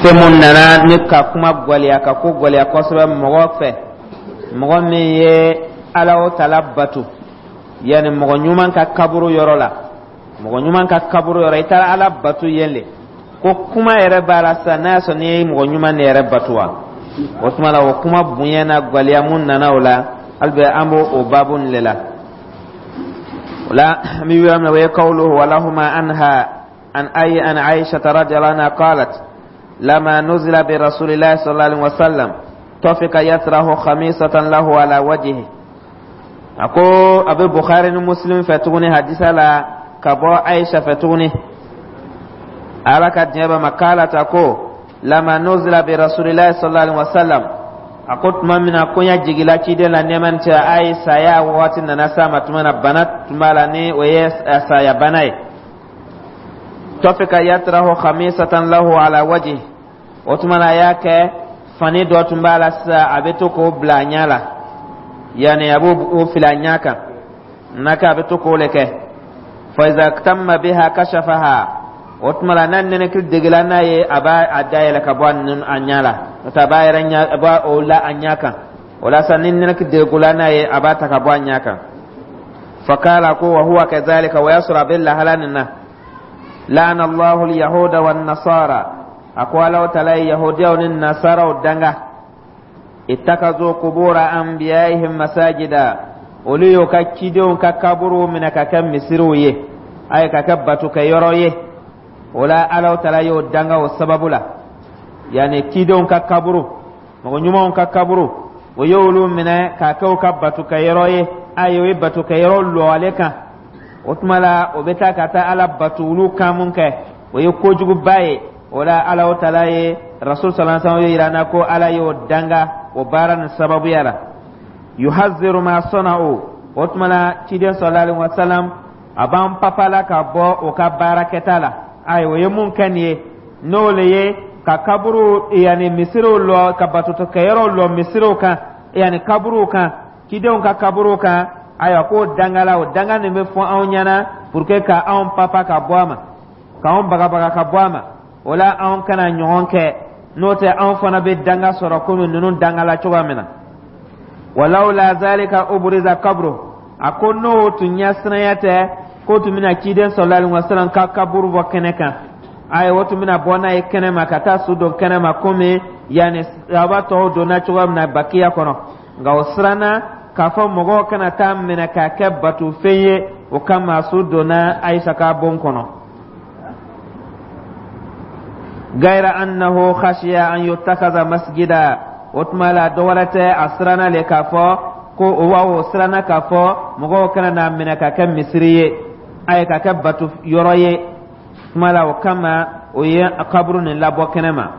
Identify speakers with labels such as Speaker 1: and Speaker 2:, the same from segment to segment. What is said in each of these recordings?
Speaker 1: Fɛn mun nana ni ka kuma gwɛlɛya, ka ko gwɛlɛya kosɛbɛ mɔgɔ fɛ, mɔgɔ min ye Ala o tala bato, yanni mɔgɔ ɲuman ka kaburu yɔrɔ la, mɔgɔ ɲuman ka kaburu yɔrɔ, i taara Ala bato yen le, ko kuma yɛrɛ b'a la sisan, n'a y'a sɔrɔ n'i ye mɔgɔ ɲuman de yɛrɛ bato wa. O tuma la, o kuma bonya na gwɛlɛya mun nana o la, hali bɛ an b'o o baabu nin le la. O la, an bɛ yɔrɔ min na, o ye kawluhu walahuma anha an ay an Aisha radiyallahu anha qalat lama nuzila bi rasulillahi sallallahu alaihi wasallam tafika yatrahu khamisatan lahu ala wajhihi. A ko a bɛ Bukhari ni Muslim fɛ tuguni hadisa la, ka bɔ Aisha fɛ tuguni, Ala ka diɲɛ b'a ma, k'ala ta ko lama nuzila bi rasulillahi sallallahu alaihi wasallam, a ko tuma min na koɲa jigila ciden la, nɛɛma ni cɛ a ye, saya wagati nana s'a ma tuma na, bana tun b'a la, ni o ye saya bana ye, tafika yatrahu khamisatan lahu ala wajhi. O tuma na, a y'a kɛ fani dɔ tun b'a la sisan, a bɛ to k'o bila a ɲɛ la, yanni a b'o fili a ɲɛ kan n'a kɛ, a bɛ to k'o le kɛ. Fa iza tamma biha kashafaha. O tuma la, n'a nɛnɛkili degela n'a ye, a b'a a dayɛlɛ ka bɔ a ɲɛ la, n'o tɛ a b'a yɛrɛ ɲɛ, a b'a o la a ɲɛ kan. O la sa, ni nɛnɛkili degela n'a ye, a b'a ta ka bɔ a ɲɛ kan. Fakala ko wa huwa kazalika, o y'a sɔrɔ a bɛ lahala nin na, laana Allahu alyahuda wan nasara, a ko Alaw tala ye yahudiyaw ni nasaraw danga, ittakazu kubura anbiyaihim masajida, olu y'o ka cidenw ka kaburuw minɛ ka kɛ misiriw ye, a ye ka kɛ batukɛyɔrɔ ye. O la, Alaw tala y'o danga o sababu la, yanni cidenw ka kaburu, mɔgɔ ɲumanw ka kaburu, o y'olu minɛ k'a kɛ u ka batukɛyɔrɔ ye. A ye, o ye batukɛyɔrɔ lɔ ale kan. O tuma la, o bɛ taa ka taa Ala bato olu kan mun kɛ, o ye kojuguba ye. O la, Ala tala ye rasul sallallahu alaihi wasallam yira na ko Ala y'o danga o baara nin sababuya la. Yuhaziru ma sana'u. O tuma la, ciden sallallahu alaihi wasallam a b'an papa la ka bɔ o ka baarakɛta la. Ayi, o ye mun kɛ nin ye, n'o le ye ka kaburu, yanni misiriw lɔ, ka batotokɛyɔrɔw lɔ misiriw kan, yanni kaburuw kan, cidenw ka kaburuw kan. Ayiwa, k'o dangala, o danga nin bɛ fɔ anw ɲɛna pour que ka anw papa ka bɔ a ma, k'anw bagabaga ka bɔ a ma. O la, anw kana ɲɔgɔn kɛ, n'o tɛ anw fana bɛ danga sɔrɔ komi ninnu dangala cogoya min na. Walawla zalika ubriza kabru, a ko n'o tun ɲɛsiranya tɛ, k'o tun bɛna ciden sallallahu alaihi wasallam ka kaburu bɔ kɛnɛ kan. Ayi, o tun bɛna bɔ n'a ye kɛnɛ ma, ka taa su don kɛnɛ ma, komi yanni sahaba tɔw donna cogoya min na Bakiya kɔnɔ. Nka o siranna k'a fɔ mɔgɔw kana taa minɛ k'a kɛ batofɛn ye, o kama su donna Ayisa ka bon kɔnɔ. Gaira annahu khashiya an yuttakaza masjida. O tuma la, dɔ wɛrɛ tɛ, a siranna le k'a fɔ ko o wa o siranna k'a fɔ mɔgɔw kana n'a minɛ ka kɛ misiri ye, a ye ka kɛ bato yɔrɔ ye. Tuma la, o kama o ye kaburu nin labɔ kɛnɛ ma.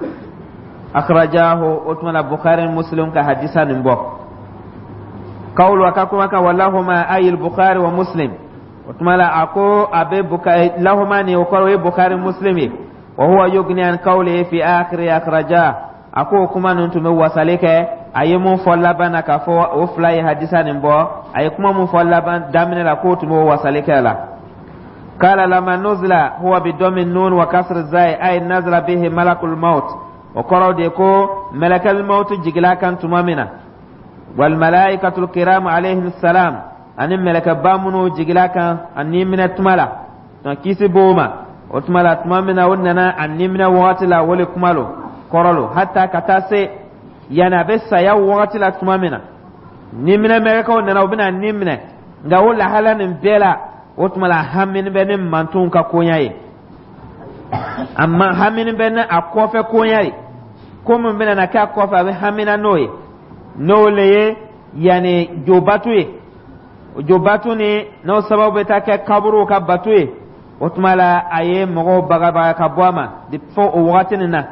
Speaker 1: Akhrajahu. O tuma la, Bukhari, Muslim ka hadisa nin bɔ. Kawulu, a ka kuma kan, walahuma ayil Bukhari wa Muslim. O tuma la, a ko a bɛ Bukhari lahuma nin, o kɔrɔ o ye Bukhari, Muslim ye. Wa huwa yugni an qawlihi fi akhiri akhraja. A ko o kuma ninnu tun bɛ wasali kɛ a ye mun fɔ laban na, k'a fɔ o fila ye hadisa nin bɔ, a ye kuma mun fɔ laban daminɛ la, k'o tun b'o wasali kɛ la. Kala lama nuzila huwa bi dɔmi nun wa kasri zai ay nazala bihi malakul maut. O kɔrɔ de ko mɛlɛkɛl maut jigila kan tuma min na, wal malaikatul kiram alayhim salam, ani mɛlɛkɛba minnu jigila kan a ni minɛ tuma la, donc kisi b'o ma. O tuma la, tuma min na o nana a ni minɛ wagati la, o le kuma lo kɔrɔ lo, hata ka taa se yanni a bɛ saya wagati la, tuma min na ni minɛ mɛlɛkɛw nana, u bɛna ni minɛ. Nka o lahala nin bɛɛ la, o tuma la, hamini bɛ ni mantonw ka koɲa ye, a ma hamini bɛ ni a kɔfɛ koɲa ye, ko min bɛna na kɛ a kɔfɛ, a bɛ hamina n'o ye, n'o le ye yanni jobatu ye, jobatu ni n'o sababu bɛ taa kɛ kaburuw ka batu ye. O tuma la, a ye mɔgɔw bagabaga ka bɔ a ma fo o wagati nin na,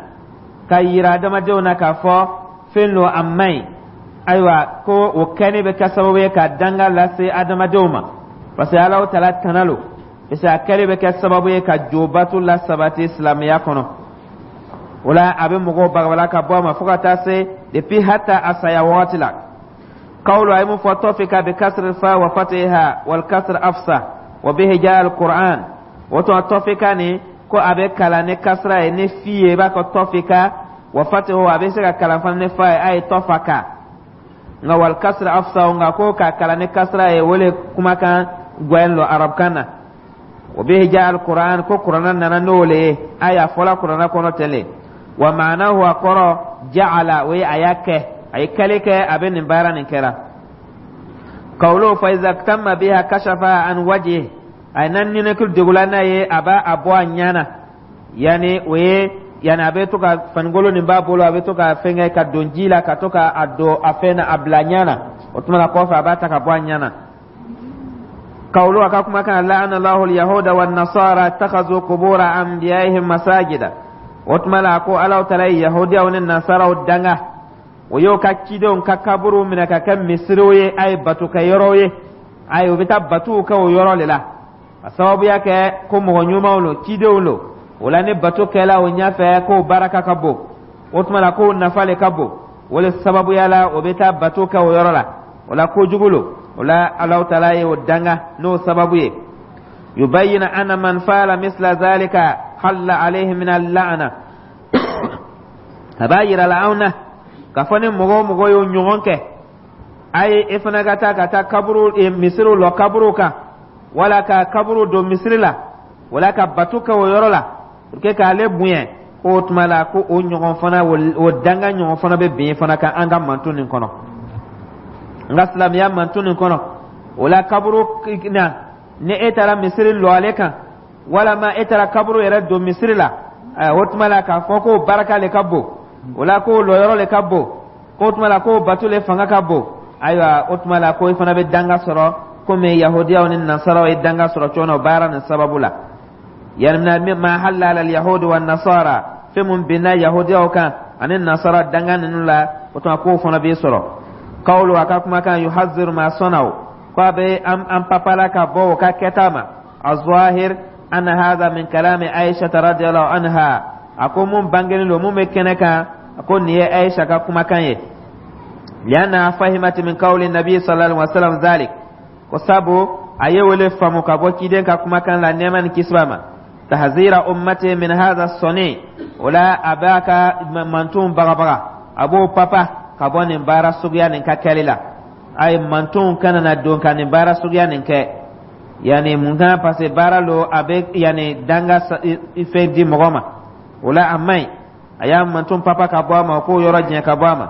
Speaker 1: ka yira adamadenw na k'a fɔ fɛn lo a man ɲi. Ayiwa, ko o kɛli bɛ kɛ sababu ye ka danga lase adamadenw ma, parce que Alahu tala tana lo, parce que a kɛli bɛ kɛ sababu ye ka jobatu la sabati silamɛya kɔnɔ. O la, a bɛ mɔgɔw bagabaga ka bɔ a ma fo ka taa se depuis hata a saya wagati la. Kawlu, a ye mun fɔ, tɔfika bi kasri fa wa fatiha wal kasr afsa wa bihi jaa al Qur'an. O tuma, tɔfika nin, ko a bɛ kalan ni kasra ye, ni fi ye, i b'a kɔ tɔfika. Wa fatihu, a bɛ se ka kalan fana ni fa ye, a ye tɔfaka. Nka wal kasra afsahu, nka ko ka kalan ni kasra ye, o le kumakan gwɛn lo arabukan na. Wa bihi jaa alquran, ko kurana nana n'o le ye, a y'a fɔla kurana kɔnɔ ten le. Wa maanahu, a kɔrɔ ja'ala, o ye a y'a kɛ, a ye kɛli kɛ, a bɛ nin baara nin kɛra. Kawlo fa iza tamma biha kashafa an wajhi, a ye na ninakili degula n'a ye, a b'a a bɔ a ɲɛ na. Yani o ye, yani a bɛ to ka fanigolo nin b'a bolo, a bɛ to ka fɛnkɛ ka don ji la, ka to ka a don a fɛn na, a bila ɲɛ na. O tuma na kɔfɛ, a b'a ta ka bɔ a ɲɛ na. Kawlo, a ka kumakan la'ana Allahu al-yahuda wa nasara ittakhadhu qubura anbiya'ihim masajida. O tuma la, ko Alaw tala ye yahudiyaw ni nasaraw danga, o y'o ka cidenw ka kaburu minɛ ka kɛ misiriw ye, a ye bato kɛ yɔrɔw ye, a ye u bɛ taa batow kɛ o yɔrɔ de la. A sababuya kɛ ko mɔgɔ ɲumanw lo, cidenw lo. O la, ni bato kɛla o ɲɛfɛ, k'o baraka ka bon. O tuma la, k'o nafa le ka bon. O le sababuya la, o bɛ taa bato kɛ o yɔrɔ la. O la, kojugu lo. O la, Alahu taala ye o danga n'o sababu ye. Yubayyinu anna man fa'ala misla zalika halla alayhi min al-la'na, a b'a yira la anw na k'a fɔ ni mɔgɔ o mɔgɔ y'o ɲɔgɔn kɛ, a ye e fana ka taa kaburu, misiriw lɔ kaburu kan, wala ka kaburu don misiri la, wala ka bato kɛ o yɔrɔ la pour que k'ale bonya, k'o tuma la, ko o ɲɔgɔn fana, o danga ɲɔgɔn fana bɛ bin fana kan an ka manton nin kɔnɔ, n ka silamɛya manton nin kɔnɔ. O la, kaburu na, ni e taara misiri lɔ ale kan, walama e taara kaburu yɛrɛ don misiri la, o tuma la, k'a fɔ k'o baraka le ka bon, o la k'o lɔyɔrɔ le ka bon, k'o tuma la k'o bato le fanga ka bon, ayiwa, o tuma la, ko i fana bɛ danga sɔrɔ komi yahudiyaw ni nasaraw ye danga sɔrɔ cogo min na o baara nin sababu la. Yani ma halla ala yahudi wa nasara, fɛn mun binna yahudiyaw kan ani nasara danga ninnu la, o tuma k'o fana b'i sɔrɔ. Kawlo, a ka kumakan yuhaziru ma sɔnnaw, ko a bɛ an papala ka bɔ o ka kɛta ma. Azahir anna hadha min kalami Aisha radiyallahu anha, a ko mun bangenen don, mun bɛ kɛnɛ kan, a ko nin ye Aisha ka kumakan ye. Lianna fahimat min qawli nabi sallallahu alaihi wasallam zalik, ko sabu a ye wele faamu ka bɔ ciden ka kumakan la, nɛɛma ni kisi b'a ma, tahzira ummati min hadha sɔni. O la, a b'a ka mantonw bagabaga, a b'o papa ka bɔ nin baara suguya nin ka kɛli la. A ye mantonw kana na don ka nin baara suguya nin kɛ. Yani mun kan? Parce que baara lo, a bɛ yani danga fɛn di mɔgɔ ma. O la, a man ɲi. A y'a manton papa ka bɔ a ma, k'o yɔrɔ jɛn ka bɔ a ma.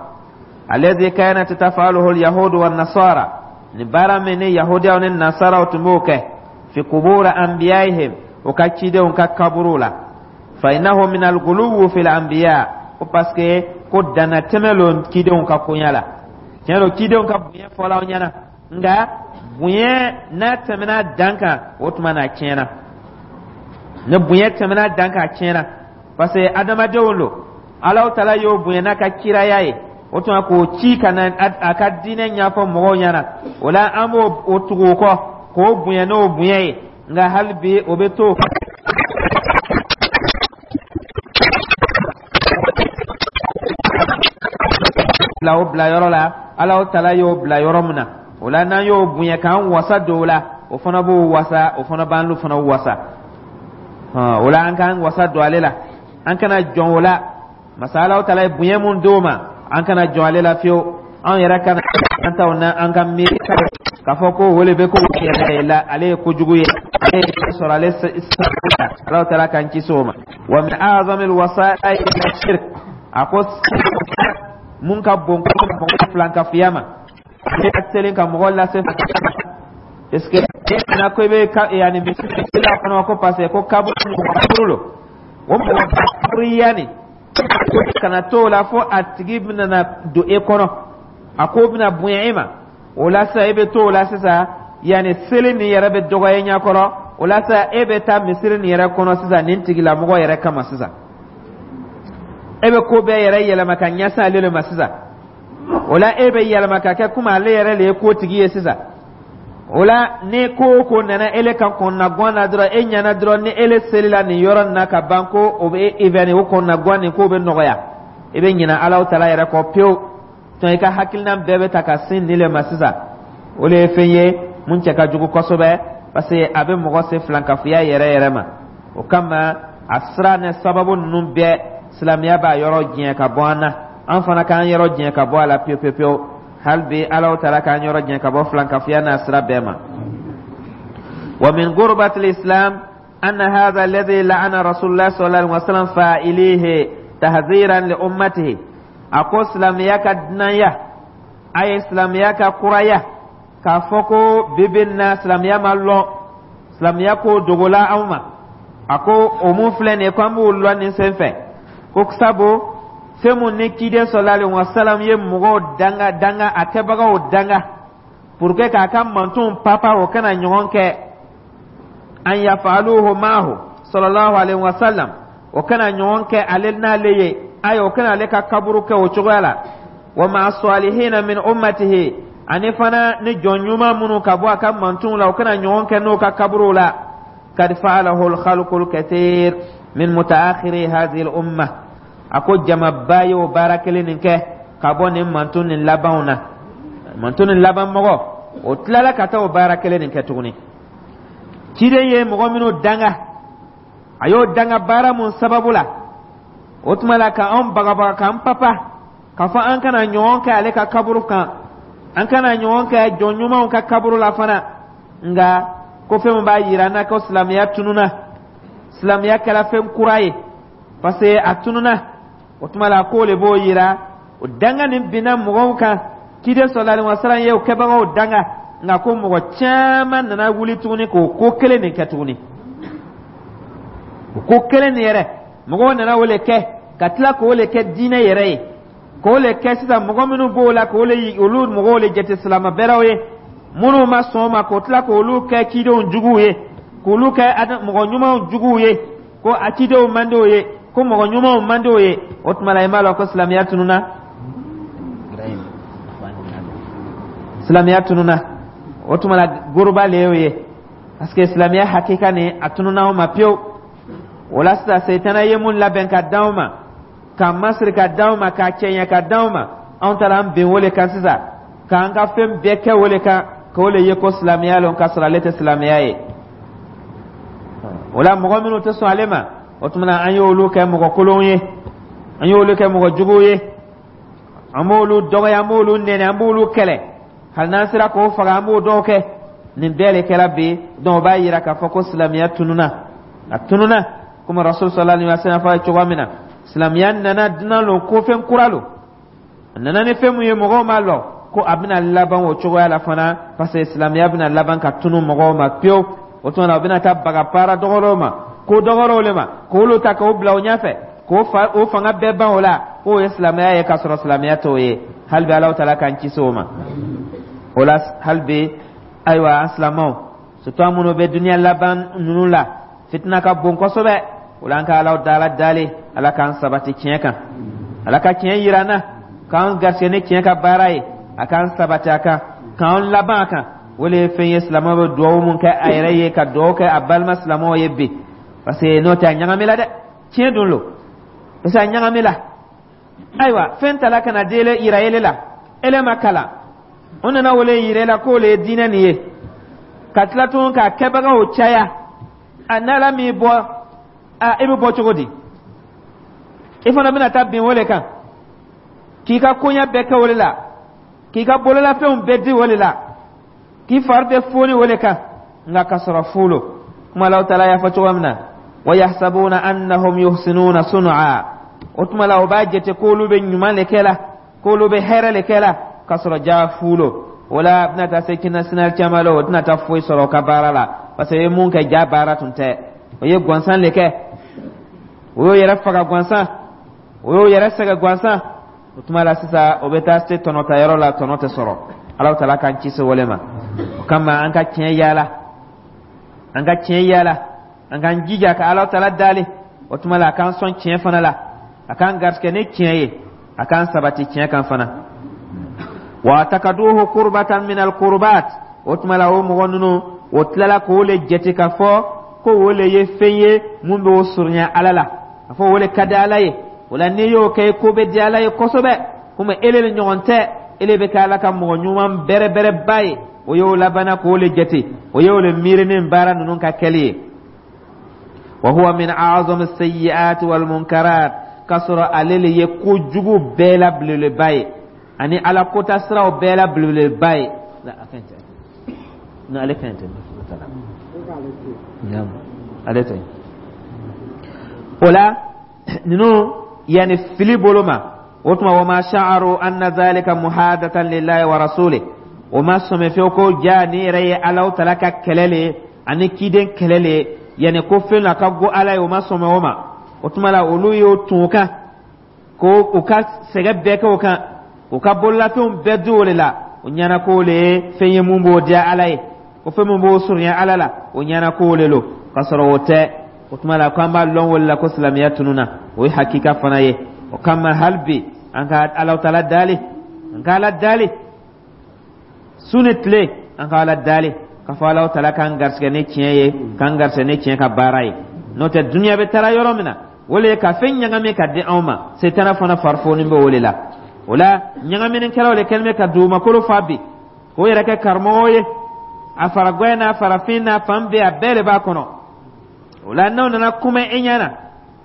Speaker 1: Alladhi kanat tafaluhu al-yahudu wan nasara, ni baara min ni yahudiyaw ni nasaraw tun b'o kɛ, fi qubur anbiya'ihim, o ka cidenw ka kaburu la. Fa innahu min al-ghuluw fil anbiya, ko parce que ko dannatɛmɛ lo cidenw ka koɲa la. Tiɲɛ don, cidenw ka bonya fɔla aw ɲɛna, nka bonya n'a tɛmɛna dan kan, o tuma na a tiɲɛna. Ni bonya tɛmɛna dan kan, a tiɲɛna, parce que adamadenw lo. Alaw tala y'o bonya n'a ka kiraya ye, o tuma k'o ci ka na a ka diinɛ ɲɛfɔ mɔgɔw ɲɛna. O la, an b'o o tugu o kɔ k'o bonya n'o bonya ye, nka hali bi o bɛ to bila o bila yɔrɔ la Alaw tala y'o bila yɔrɔ min na. O la, n'an y'o bonya k'an wasa don o la, o fana b'o wasa, o fana b'an fana wasa. O la, an k'an wasa don ale la, an kana jɔn o la. Masa Alaw tala ye bonya mun d'o ma, an kana jɔn ale la fiyewu. An yɛrɛ kana an taw na, an ka miiri k'a fɔ ko o le bɛ ko yɛrɛ la, ale ye kojugu ye, ale ye sɔrɔ ale Alaw tala k'an kisi o ma. Wa min a'zamil wasa'il shirk, a ko mun ka bon ko filankafiya ma, ale ka teli ka mɔgɔ lase, parce que na ko i bɛ ka yanni misiri la kɔnɔ, ko parce que ko kaburu lo, o mɔgɔ kaburu yanni kana t'o la fo a tigi bɛna na don e kɔnɔ, a ko bɛna bonya e ma. O la sisan, e bɛ t'o la sisan, yanni seli nin yɛrɛ bɛ dɔgɔya i ɲɛkɔrɔ. O la sisan, e bɛ taa misiri nin yɛrɛ kɔnɔ sisan nin tigilamɔgɔ yɛrɛ kama. Sisan e bɛ ko bɛɛ yɛrɛ yɛlɛma ka ɲɛsin ale de ma sisan. O la, e bɛ yɛlɛma ka kɛ komi ale yɛrɛ de ye kotigi ye sisan. O la, ni ko o ko nana ele kan kɔnɔnagan na dɔrɔn, e ɲɛna dɔrɔn, ni ele selila nin yɔrɔ nin na ka ban, ko o bɛ e fɛn o kɔnɔnagan nin k'o bɛ nɔgɔya, i bɛ ɲinɛ Alahu taala yɛrɛ kɔ pewu. Tɔn i ka hakilina bɛɛ bɛ ta ka sin nin le ma sisan. O de ye fɛn ye mun cɛ ka jugu kosɛbɛ, parce que a bɛ mɔgɔ se filankafoya yɛrɛ yɛrɛ ma. O kama, a sira ni sababu ninnu bɛɛ Silamɛya b'a yɔrɔ janya ka bɔ an na, an fana k'an yɔrɔ janya ka bɔ a la pewu pewu pewu. Hali bi Ala taala k'an yɔrɔ janya ka bɔ filankafoya n'a sira bɛɛ ma. Wa min gurbatil islam anna hadha alladhi la'ana Rasulullah sallallahu alaihi wasallam fa'ilihi tahziran li ummatihi. A ko silamɛya ka dunanya, a ye silamɛya ka kuraya, k'a fɔ ko bibi na silamɛya ma lɔn, silamɛya ko dogola anw ma. A ko o mun filɛ nin ye ko an b'o lɔn nin sen fɛ, ko sabu fɛn mun ni ciden sallallahu alaihi wasallam ye mɔgɔw danga danga, a kɛbagaw danga pour que k'a ka mantonw papa, o kana ɲɔgɔn kɛ, an yafaluhu maahu sallallahu alaihi wasallam, o kana ɲɔgɔn kɛ ale n'ale ye, ayi, o kana ale ka kaburu kɛ o cogoya la, wa ma'a salihina min ummatihi, ani fana ni jɔn ɲuman minnu ka bɔ a ka mantonw la, o kana ɲɔgɔn kɛ n'o ka kaburuw la. Kad fa'alahu al-khalqu al-kathir min mutaakhiri hadhihi al-umma. A ko jamaba y'o baara kelen nin kɛ ka bɔ nin manton nin labanw na. Manton nin laban mɔgɔ o tilala ka taa o baara kelen nin kɛ tuguni. Ciden ye mɔgɔ minnu danga, a y'o danga baara mun sababu la, o tuma la ka anw bagabaga, k'an papa, k'a fɔ an kana ɲɔgɔn kɛ ale ka kaburu kan, an kana ɲɔgɔn kɛ jɔn ɲumanw ka kaburu la fana. Nka ko fɛn min b'a yira an na ko silamɛya tununa, silamɛya kɛra fɛn kura ye, parce que a tununa, o tuma la k'o le b'o yira. O danga nin binna mɔgɔw kan, ciden sallallahu alaihi wasallam ye o kɛbagaw danga, nka ko mɔgɔ caman nana wuli tuguni k'o ko kelen nin kɛ tuguni. O ko kelen nin yɛrɛ, mɔgɔw nana o le kɛ, ka tila k'o le kɛ diinɛ yɛrɛ ye, k'o le kɛ sisan. Mɔgɔ minnu b'o la, k'o le olu mɔgɔw le jate silamɛ bɛrɛw ye, minnu ma sɔn o ma, k'o tila k'olu kɛ cidenw juguw ye, k'olu kɛ mɔgɔ ɲumanw juguw ye, ko a cidenw man d'o ye, ko mɔgɔ ɲumanw man d'o ye. O tuma la, i m'a lɔn ko silamɛya tununa, silamɛya tununa. O tuma la, goroba le y'o ye, parce que silamɛya hakika nin, a tununa anw ma pewu. O la sisan, Seyitana ye mun labɛn ka d'anw ma, k'a masiri ka d'anw ma, k'a cɛɲɛ ka d'anw ma, anw taara an ben o le kan sisan, k'an ka fɛn bɛɛ kɛ o le kan, k'o le ye ko silamɛya lɔn, k'a sɔrɔ ale tɛ silamɛya ye. O la, mɔgɔ minnu tɛ sɔn ale ma, o tuma na an y'olu kɛ mɔgɔ kolonw ye, an y'olu kɛ mɔgɔ juguw ye, an b'olu dɔgɔya, an b'olu nɛni, an b'olu kɛlɛ, hali n'an sera k'o faga, an b'o dɔw kɛ. Nin bɛɛ le kɛra bi. Donc o b'a yira k'a fɔ ko silamɛya tununa, a tununa komi Rasul sallallahu alaihi wasallam fɔ cogoya min na. Silamɛya nana dunan lo, ko fɛn kura lo, a nana ni fɛn mun ye, mɔgɔw m'a lɔn ko a bɛna laban o cogoya la fana, parce que silamɛya bɛna laban ka tunu mɔgɔw ma pewu. O tuma na, o bɛna taa baga baara dɔgɔdɔw ma, ko dɔgɔdɔw le ma, k'olu ta k'o bila o ɲɛfɛ, k'o fa o fanga bɛɛ ban o la, k'o ye silamɛya ye, k'a sɔrɔ silamɛya t'o ye. Hali bi Alahu taala k'an kisi o ma. O la, hali bi, ayiwa, an silamɛw, surtout an minnu bɛ duniya laban ninnu la, fitina ka bon kosɛbɛ. O la, an ka Alahu taala dali, Ala k'an sabati tiɲɛ kan, Ala ka tiɲɛ yira an na, k'an garisɛgɛ ni tiɲɛ ka baara ye, a k'an sabati a kan, k'an laban a kan. O le ye fɛn ye silamɛw bɛ dugawu mun kɛ a yɛrɛ ye, ka dugawu kɛ a balima silamɛw ye bi, parce que n'o tɛ, a ɲagamila dɛ. Tiɲɛ dun lo, parce que a ɲagamila. Ayiwa, fɛn tala ka na di yira ele la, ele ma kalan, o nana o le yira la k'o le ye diinɛ nin ye, ka tila tun k'a kɛbagaw caya. A n'Ala m'i bɔ a, i bɛ bɔ cogo di? I fana bɛna taa bin o le kan, k'i ka koɲɛ bɛɛ kɛ o le la, k'i ka bololafɛnw bɛɛ di o le la, k'i fari bɛɛ foni o le kan, nka ka sɔrɔ fu lo. Kuma Alahu taala y'a fɔ cogo min na: wa yahsabuna annahum yuhsinuna sun'a. O tuma la, o b'a jate k'olu bɛ ɲuman le kɛ la, k'olu bɛ hɛrɛ le kɛ la, k'a sɔrɔ jaa fu lo. O la, a bɛna taa se kina sinali caman la, o tɛna taa foyi sɔrɔ o ka baara la, parce que o ye mun kɛ, ja baara tun tɛ, o ye gansan le kɛ, o y'o yɛrɛ faga gansan, o y'o yɛrɛ sɛgɛn gansan. O tuma la sisan, o bɛ taa se tɔnɔtayɔrɔ la, tɔnɔ tɛ sɔrɔ. Alahu taala k'an kisi o le ma. O kama, an ka tiɲɛ yaala, an ka tiɲɛ yaala, an k'an jija ka Alahu taala dali. O tuma la, a k'an sɔn tiɲɛ fana la, a k'an garisɛgɛ ni tiɲɛ ye, a k'an sabati tiɲɛ kan fana. Wa takaduhu kurbatan min alkurbat. O tuma la, o mɔgɔ ninnu, o tilala k'o le jate k'a fɔ ko o le ye fɛn ye mun bɛ o surunya Ala la, a fɔ o le ka di Ala ye. O la, n'i y'o kɛ, ko bɛ di Ala ye kosɛbɛ, komi ele le ɲɔgɔn tɛ, ele bɛ kɛ Ala ka mɔgɔ ɲuman bɛrɛbɛrɛba ye. O y'o labanna k'o le jate, o y'o le miiri ni baara ninnu ka kɛli ye. Wa huwa min a'zami sayyi'ati wal munkarat. K'a sɔrɔ ale le ye kojugu bɛɛ la belebeleba ye ani Ala kota siraw bɛɛ la belebeleba ye. A ka ɲi tɛ? Ale ka ɲi tɛ? Ale tɛ. O la ninnu yanni fili bolo ma, o tuma wa ma sha'aru anna zalika muhadatan lillahi wa rasulih, o ma sɔmi fewu ko ja ni yɛrɛ ye Alahu Taala ka kɛlɛ le ye ani ciden kɛlɛ le ye, yanni ko fɛn la ka go Ala ye. O ma sɔmi o ma. O tuma la olu y'o tun o kan ko u ka sɛgɛ bɛɛ kɛ o kan, u ka bololafɛnw bɛɛ di o de la. O ɲɛna k'o le ye fɛn ye mun b'o diya Ala ye, ko fɛn mun b'o surunya Ala la, o ɲɛna k'o le lo, k'a sɔrɔ o tɛ. O tuma la k'an b'a lɔn o le la ko silamɛya tununa, o ye hakika fana ye. O kama hali bi an ka Alahu Taala dali, an ka Ala dali su ni tile, an ka Ala dali k'a fɔ Alahu Taala k'an garisɛgɛ ni tiɲɛ ye, k'an garisɛgɛ ni tiɲɛ ka baara ye. N'o tɛ, dunuya bɛ taara yɔrɔ min na, o le ye ka fɛn ɲagami ka di anw ma. Setana fana farifoni bɛ o de la. O la ɲagaminikɛlaw de kɛlen bɛ ka dugumakolo fa bi k'o yɛrɛ kɛ karamɔgɔw ye. A faragwɛ n'a farafin n'a fan bɛɛ, a bɛɛ de b'a kɔnɔ. O la n'aw nana kuma e ɲɛna,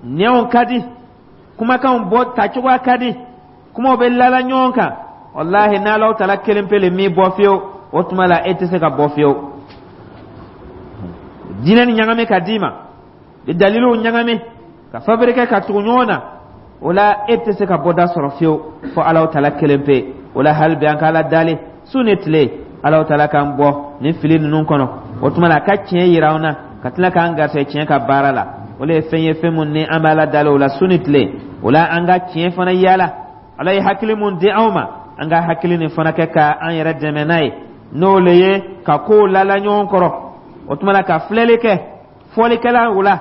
Speaker 1: nɛnw ka di, kumakanw bɔ tacogoya ka di, kumaw bɛ lala ɲɔgɔn kan. Walahi, n'Alaw Taala kelen pe le m'i bɔ fiyewu, o tuma la e tɛ se ka bɔ fiyewu. Diinɛ ni ɲagami ka d'i ma, bi daliluw ɲagami ka fabriquer ka tugu ɲɔgɔn na, o la e tɛ se ka bɔda sɔrɔ fiyewu fo Alaw Taala kelen pe. O la hali bi an ka Ala dali su ni tile, Alaw Taala k'an bɔ nin fili ninnu kɔnɔ. O tuma la a ka tiɲɛ yira an na, ka tila k'an garisɛgɛ tiɲɛ ka baara la. O le ye fɛn ye, fɛn mun ni an bɛ Ala dali o la su ni tile. O la an ka tiɲɛ fana yaala. Ala ye hakili mun di anw ma, an ka hakili nin fana kɛ ka an yɛrɛ dɛmɛ n'a ye, n'o le ye ka kow lala ɲɔgɔn kɔrɔ. O tuma la ka filɛli kɛ fɔlikɛla o la.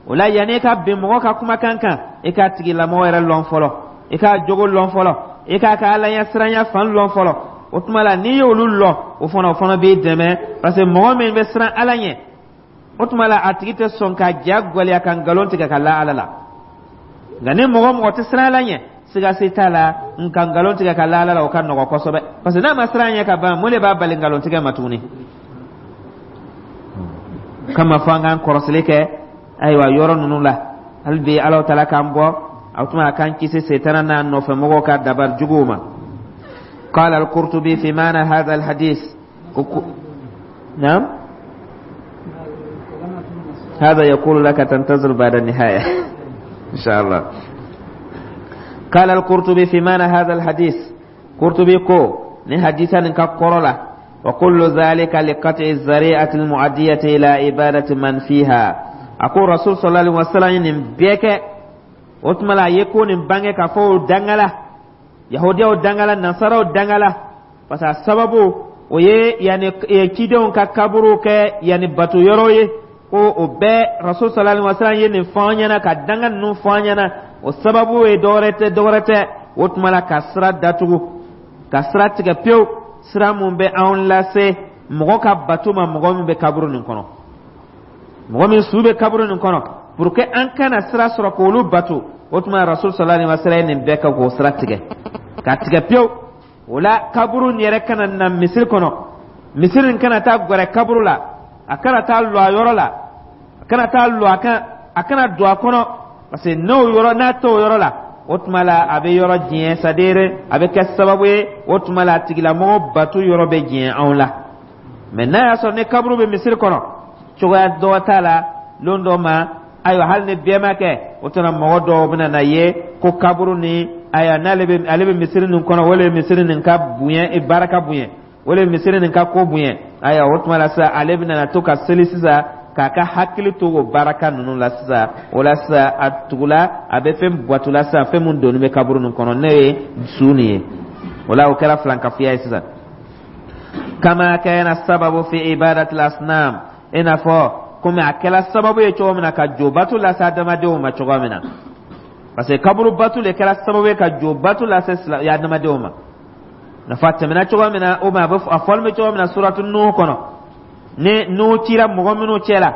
Speaker 1: O la yanni i ka bin mɔgɔ ka kumakan kan, i k'a tigilamɔgɔ yɛrɛ lɔn fɔlɔ, i k'a jogo lɔn fɔlɔ, i k'a ka Ala ɲɛsiranya fan lɔn fɔlɔ. O tuma la n'i y'olu lɔn, o fana b'i dɛmɛ, parce que mɔgɔ min bɛ siran Ala ɲɛ, o tuma la a tigi tɛ sɔn ka ja gwɛlɛya ka nkalon tigɛ ka la Ala la. Nka ni mɔgɔ tɛ siran Ala ɲɛ, siga si t'a la, nka nkalon tigɛ ka la Ala la, o ka nɔgɔ kosɛbɛ, parce que n'a ma siran ɲɛ ka ban, mun de b'a bali nkalon tigɛ ma tuguni? Kama fɔ an k'an kɔrɔsili kɛ ayiwa yɔrɔ ninnu la. Hali bi Ala Taala k'an bɔ, a tuma a k'an kisi setana n'a nɔfɛmɔgɔw ka dabari juguw ma. قال القرطبي في معنى هذا الحديث، نعم، هذا يقول لك تنتظر بعد النهاية إن شاء الله. قال القرطبي في معنى هذا الحديث، قرطبي ko ni hadisa nin ka kɔrɔ la: وكل ذلك لقطع الذريعة المؤدية إلى عبادة من فيها. A ko Rasul صلى الله عليه وسلم nin bɛɛ kɛ, o tuma la a ye ko nin bange k'a fɔ o dangala, Yahudiyaw dangala, Nasaraw dangala, parce que a sababu o ye yani cidenw ka kaburu kɛ yani bato yɔrɔ ye, ko o bɛɛ Rasul صلى الله عليه وسلم ye nin fɔ an ɲɛna, ka danga ninnu fɔ an ɲɛna. O sababu ye dɔwɛrɛ tɛ, dɔwɛrɛ tɛ, o tuma la ka sira datugu, ka sira tigɛ pewu, sira mun bɛ anw lase mɔgɔ ka bato ma, mɔgɔ min bɛ kaburu nin kɔnɔ, mɔgɔ min su bɛ kaburu nin kɔnɔ, pour que an kana sira sɔrɔ k'olu bato. O tuma Rasul صلى الله عليه وسلم ye nin bɛɛ kɛ k'o sira tigɛ, ka tigɛ pewu. O la kaburu nin yɛrɛ kana na misiri kɔnɔ, misiri nin kana taa gwɛrɛ kaburu la, a kana taa lɔ a yɔrɔ la, a kana taa lɔ a kan, a kana don a kɔnɔ, parce que n'o yɔrɔ n'a t'o yɔrɔ la, o tuma la a bɛ yɔrɔ diɲɛ, c'est à dire a bɛ kɛ sababu ye, o tuma la a tigilamɔgɔ bato yɔrɔ bɛ diɲɛ anw la. Mais n'a y'a sɔrɔ ni kaburu bɛ misiri kɔnɔ, cogoya dɔ t'a la lon dɔ ma. Ayiwa, hali ni bɛɛ ma kɛ, o tuma mɔgɔ dɔw bɛna na ye ko kaburu ni ayiwa n'ale bɛ ale bɛ misiri nin kɔnɔ, o le misiri nin ka bonya, baraka bonya, o le misiri nin ka ko bonya. Ayiwa, o tuma la sisan ale bɛna na to ka seli sisan k'a ka hakili to o baraka ninnu la sisan. O la sisan a tugula a bɛ fɛn bato la sisan, fɛn mun donni bɛ kaburu nin kɔnɔ, n'o ye su nin ye. O la o kɛra filankafoya ye sisan. كما كان السبب في عبادة الأصنام, i n'a fɔ komi a kɛra sababu ye cogo min na ka jo bato lase adamadenw ma cogo min na, parce que kaburu bato le kɛra sababu ye ka jo bato lase adamadenw ma. Nafa tɛmɛna cogo min na, o ma a bɛ a fɔli bɛ cogo min na suratu Nuhu kɔnɔ, ni Nuhu cira mɔgɔ minnu cɛ la,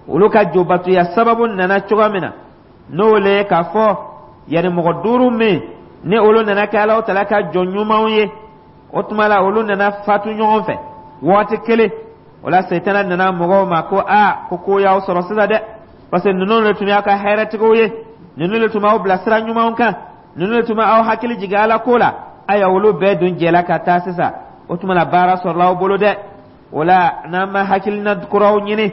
Speaker 1: olu ka jo batoya sababu nana cogo min na, n'o le ye k'a fɔ yanni mɔgɔ duuru min ni olu nana kɛ Alahu Taala ka jɔn ɲumanw ye, o tuma la olu nana fatu ɲɔgɔn fɛ waati kelen. O la Sɛtana nana mɔgɔw ma ko aa, ko ko y'aw sɔrɔ sisan dɛ, parce que ninnu de tun y'a ka hɛrɛtigiw ye. Ninnu le tun b'aw bila sira ɲumanw kan, ninnu le tun bɛ aw hakili jigin Ala ko la. Ayiwa, olu bɛɛ dun jɛla ka taa sisan. O tuma na, baara sɔrɔla aw bolo dɛ. O la, n'an ma hakilina kuraw ɲini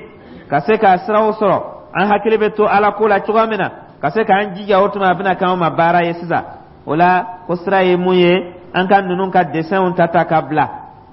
Speaker 1: ka se ka siraw sɔrɔ, an hakili bɛ to Ala ko la cogoya min na, ka se k'an jija, o tuma a bɛna k'anw ma baara ye sisan. O la, ko sira ye mun ye? An ka ninnu ka dessinw ta ta ka bila,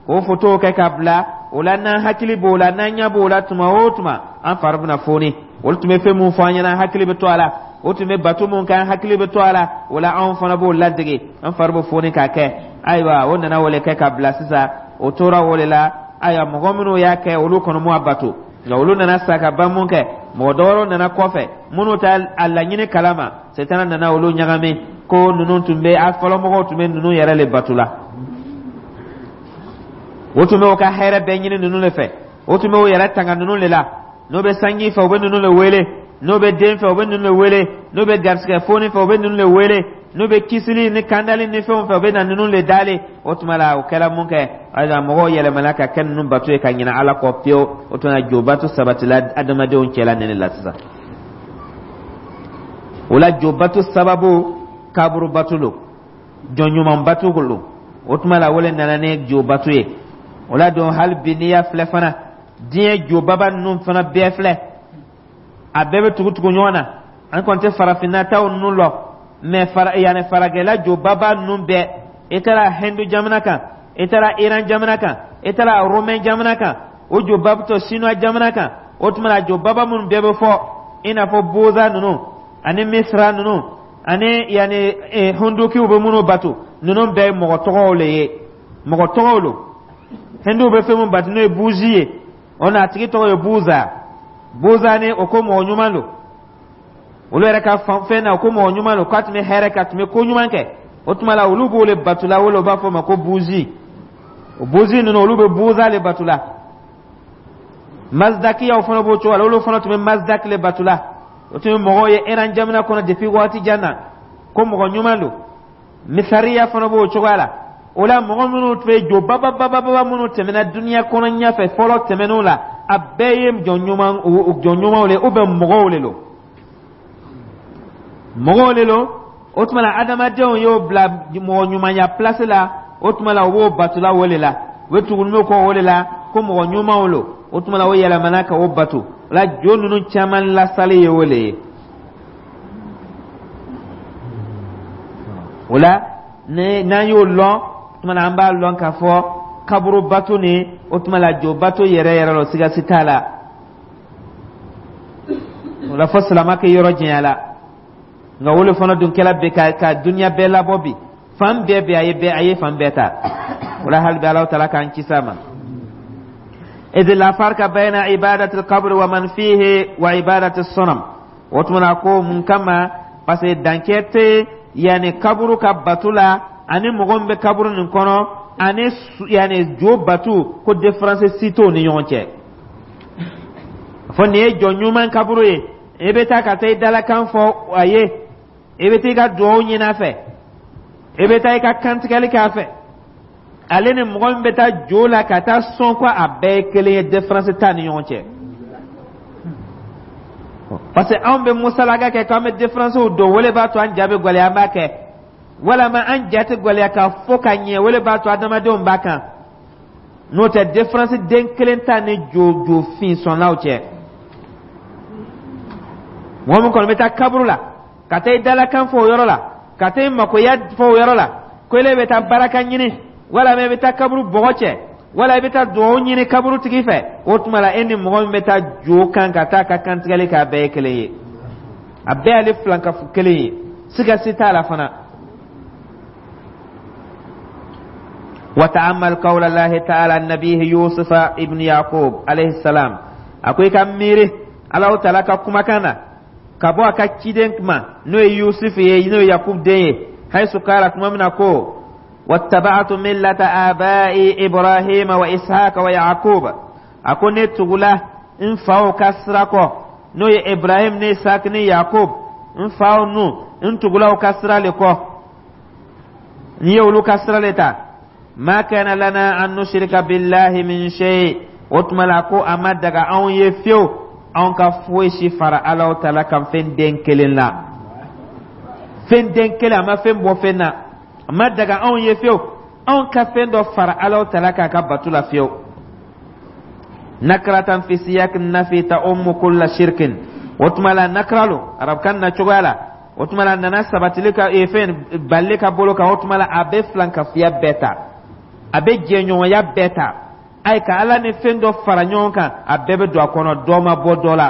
Speaker 1: k'o fotow kɛ ka bila. O la, n'an hakili b'o la, n'an ɲɛ b'o la tuma o tuma, an fari bɛna foni. Olu tun bɛ fɛn mun fɔ an ɲɛna, an hakili bɛ to a la. O tun bɛ bato mun kɛ, an hakili bɛ to a la. O la, anw fana b'o ladege, an fari bɛ foni k'a kɛ. Ayiwa, o nana o le kɛ ka bila sisan, o tora o le la. Ayiwa, mɔgɔ minnu y'a kɛ, olu kɔni m'o bato, nka olu nana sa ka ban mun kɛ, mɔgɔ dɔwɛrɛw nana kɔfɛ minnu t'a a laɲini kalama. Setana nana olu ɲagami ko ninnu tun bɛ a fɔlɔmɔgɔw tun bɛ ninnu yɛrɛ le bato la, o tun bɛ o ka hɛrɛ bɛɛ ɲini ninnu de fɛ, o tun bɛ o yɛrɛ tanga ninnu de la. N'o bɛ sanji fɛ, u bɛ ninnu de wele. N'o bɛ den fɛ, u bɛ ninnu de wele. N'o bɛ garisigɛ foni fɛ, u bɛ ninnu de wele. N'u bɛ kisili ni kandali ni fɛnw fɛ, u bɛ na ninnu de dalen. O tuma la, o kɛra mun kɛ? Ayiwa, mɔgɔw yɛlɛmana ka kɛ ninnu bato ye ka ɲinɛ Ala kɔ pewu. O tuma na, jobato sabatila adamadenw cɛla nin de la sisan. O la, jobato sababu kaburu bato lo, jɔn ɲuman bato lo. O tuma la, o le nana ni jobato ye. O la don, hali bi n'i y'a filɛ fana, diɲɛ jobaba ninnu fana bɛɛ filɛ, a bɛɛ bɛ tugu tugu ɲɔgɔn na. An kɔni tɛ farafinna taw ninnu lɔ mɛ, fara yanni faragɛla jobaba ninnu bɛɛ, i taara Hindu jamana kan, i taara Iran jamana kan, i taara Romain jamana kan, o jobaba tɔ Chinois jamana kan. O tuma na, jobaba minnu bɛɛ bɛ fɔ, i n'a fɔ Boza ninnu ani Misra ninnu ani yanni Hindukiw bɛ minnu bato, ninnu bɛɛ ye mɔgɔ tɔgɔw le ye, mɔgɔ tɔgɔw lo. Hinduw bɛ fɛn min bato, n'o ye buzi ye, o n'a tigi tɔgɔ ye Buza. Buza ni o ko mɔgɔ ɲuman don, olu yɛrɛ ka fɛn na, o ko mɔgɔ ɲuman don, k'a tun bɛ hɛrɛ kɛ, a tun bɛ ko ɲuman kɛ. O tuma la, olu b'o le bato la, o b'a fɔ o ma ko buzi. O buzi ninnu, olu bɛ Buza le bato la. Mazdakiyaw fana b'o cogo la, olu fana tun bɛ Mazdak le bato la. O tun ye mɔgɔw ye Iran jamana kɔnɔ depuis waati jan na, ko mɔgɔ ɲuman don. Misariya fana b'o cogoya la. O la, mɔgɔ minnu tun bɛ jo bababababa minnu tɛmɛna duniya kɔnɔ ɲɛfɛ fɔlɔ tɛmɛnenw la, a bɛɛ ye jɔn ɲuman, jɔn ɲumanw le, ou bien mɔgɔw le lo, mɔgɔw le lo. O tuma la, adamadenw y'o bila mɔgɔ ɲumanya place la. O tuma la, u b'o batola o de la, u bɛ tugu n'o kɔ o de la, ko mɔgɔ ɲumanw lo. O tuma la, o yɛlɛmana ka o bato. O la, jo ninnu caman lasali ye o le ye. O la, ni n'an y'o lɔn, o tuma la, an b'a lɔn k'a fɔ kaburu bato ni, o tuma la, jo bato yɛrɛ yɛrɛ la, siga si t'a la. O la, fo silama kɛ yɔrɔ janya la. Nka o le fana dun kɛla bi ka duniya bɛɛ labɔ bi, fan bɛɛ bɛ a ye, bɛɛ a ye fan bɛɛ ta. O la, hali bi Alahu taala k'an kisi a ma. إذ لا فرق بين عبادة القبر ومن فيه وعبادة الصنم. O tuma na, ko mun kama? Parce que dancɛ tɛ yanni kaburu ka batu la ani mɔgɔ min bɛ kaburu nin kɔnɔ ani yanni jo batu, ko différence si t'o ni ɲɔgɔn cɛ. Fɔ nin ye jɔn ɲuman kaburu ye, i bɛ taa ka taa i dalakan fɔ a ye, i bɛ taa i ka duwawu ɲini a fɛ, i bɛ taa i ka kantigɛli kɛ a fɛ, ale ni mɔgɔ min bɛ taa jo la ka taa sɔn, ko a bɛɛ ye kelen ye, différence t'a ni ɲɔgɔn cɛ. Parce que anw bɛ musalaka kɛ k'an bɛ différence don, o le b'a to an ja bɛ gwɛlɛya, an b'a kɛ, walama an ja tɛ gwɛlɛya ka fɔ ka ɲɛ, o le b'a to adamadenw b'a kan. N'o tɛ, différence den kelen t'a ni jo jo fin sɔnnaw cɛ. Mɔgɔ min kɔni bɛ taa kaburu la ka taa i dalakan fɔ o yɔrɔ la, ka taa i makoya fɔ o yɔrɔ la, ko ele bɛ taa baraka ɲini, walama i bɛ taa kaburu bɔgɔ cɛ, wala i bɛ taa duwawu ɲini kaburu tigi fɛ, o tuma la, e ni mɔgɔ min bɛ taa jo kan ka taa ka kantigɛli kɛ, a bɛɛ ye kelen ye, a bɛɛ y'ale filankafu kelen ye, siga si t'a la fana. وتأمل قول الله تعالى النبي يوسف ابن يعقوب عليه السلام. A ko i ka miiri Alahu taala ka kumakan na ka bɔ a ka ciden ma, n'o ye Yusuf ye, n'o ye Yakub den ye, haisu kala, tuma min na ko: واتبعت ملة آبائي إبراهيم وإسحاق ويعقوب. A ko ne tugula n faw ka sira kɔ, n'o ye Ibrahim ni Isaac ni Yakub. N faw nu, n tugula u ka sira le kɔ, n ye olu ka sira le ta. ما كان لنا أن نشرك بالله من شيء. O tuma la, ko a ma daga anw ye fiyewu anw ka foyi si fara Alahu taala kan fɛn den kelen la. Fɛn den kelen, a ma fɛn bɔ fɛn na. A ma daga anw ye fiyewu, anw ka fɛn dɔ fara Ala tala k'a ka bato la fiyewu. Nakratan fi siyaq nafi ta'ummu kulla shirkin. O tuma la, nakra lo arabukan na cogoya la. O tuma la, a nana sabatili ka fɛn balili ka bolo kan. O tuma la, a bɛ filankafiya bɛɛ ta, a bɛ jɛɲɔgɔnya bɛɛ ta. Ayi, ka Ala ni fɛn dɔ fara ɲɔgɔn kan, a bɛɛ bɛ don a kɔnɔ. Dɔ ma bɔ dɔ la,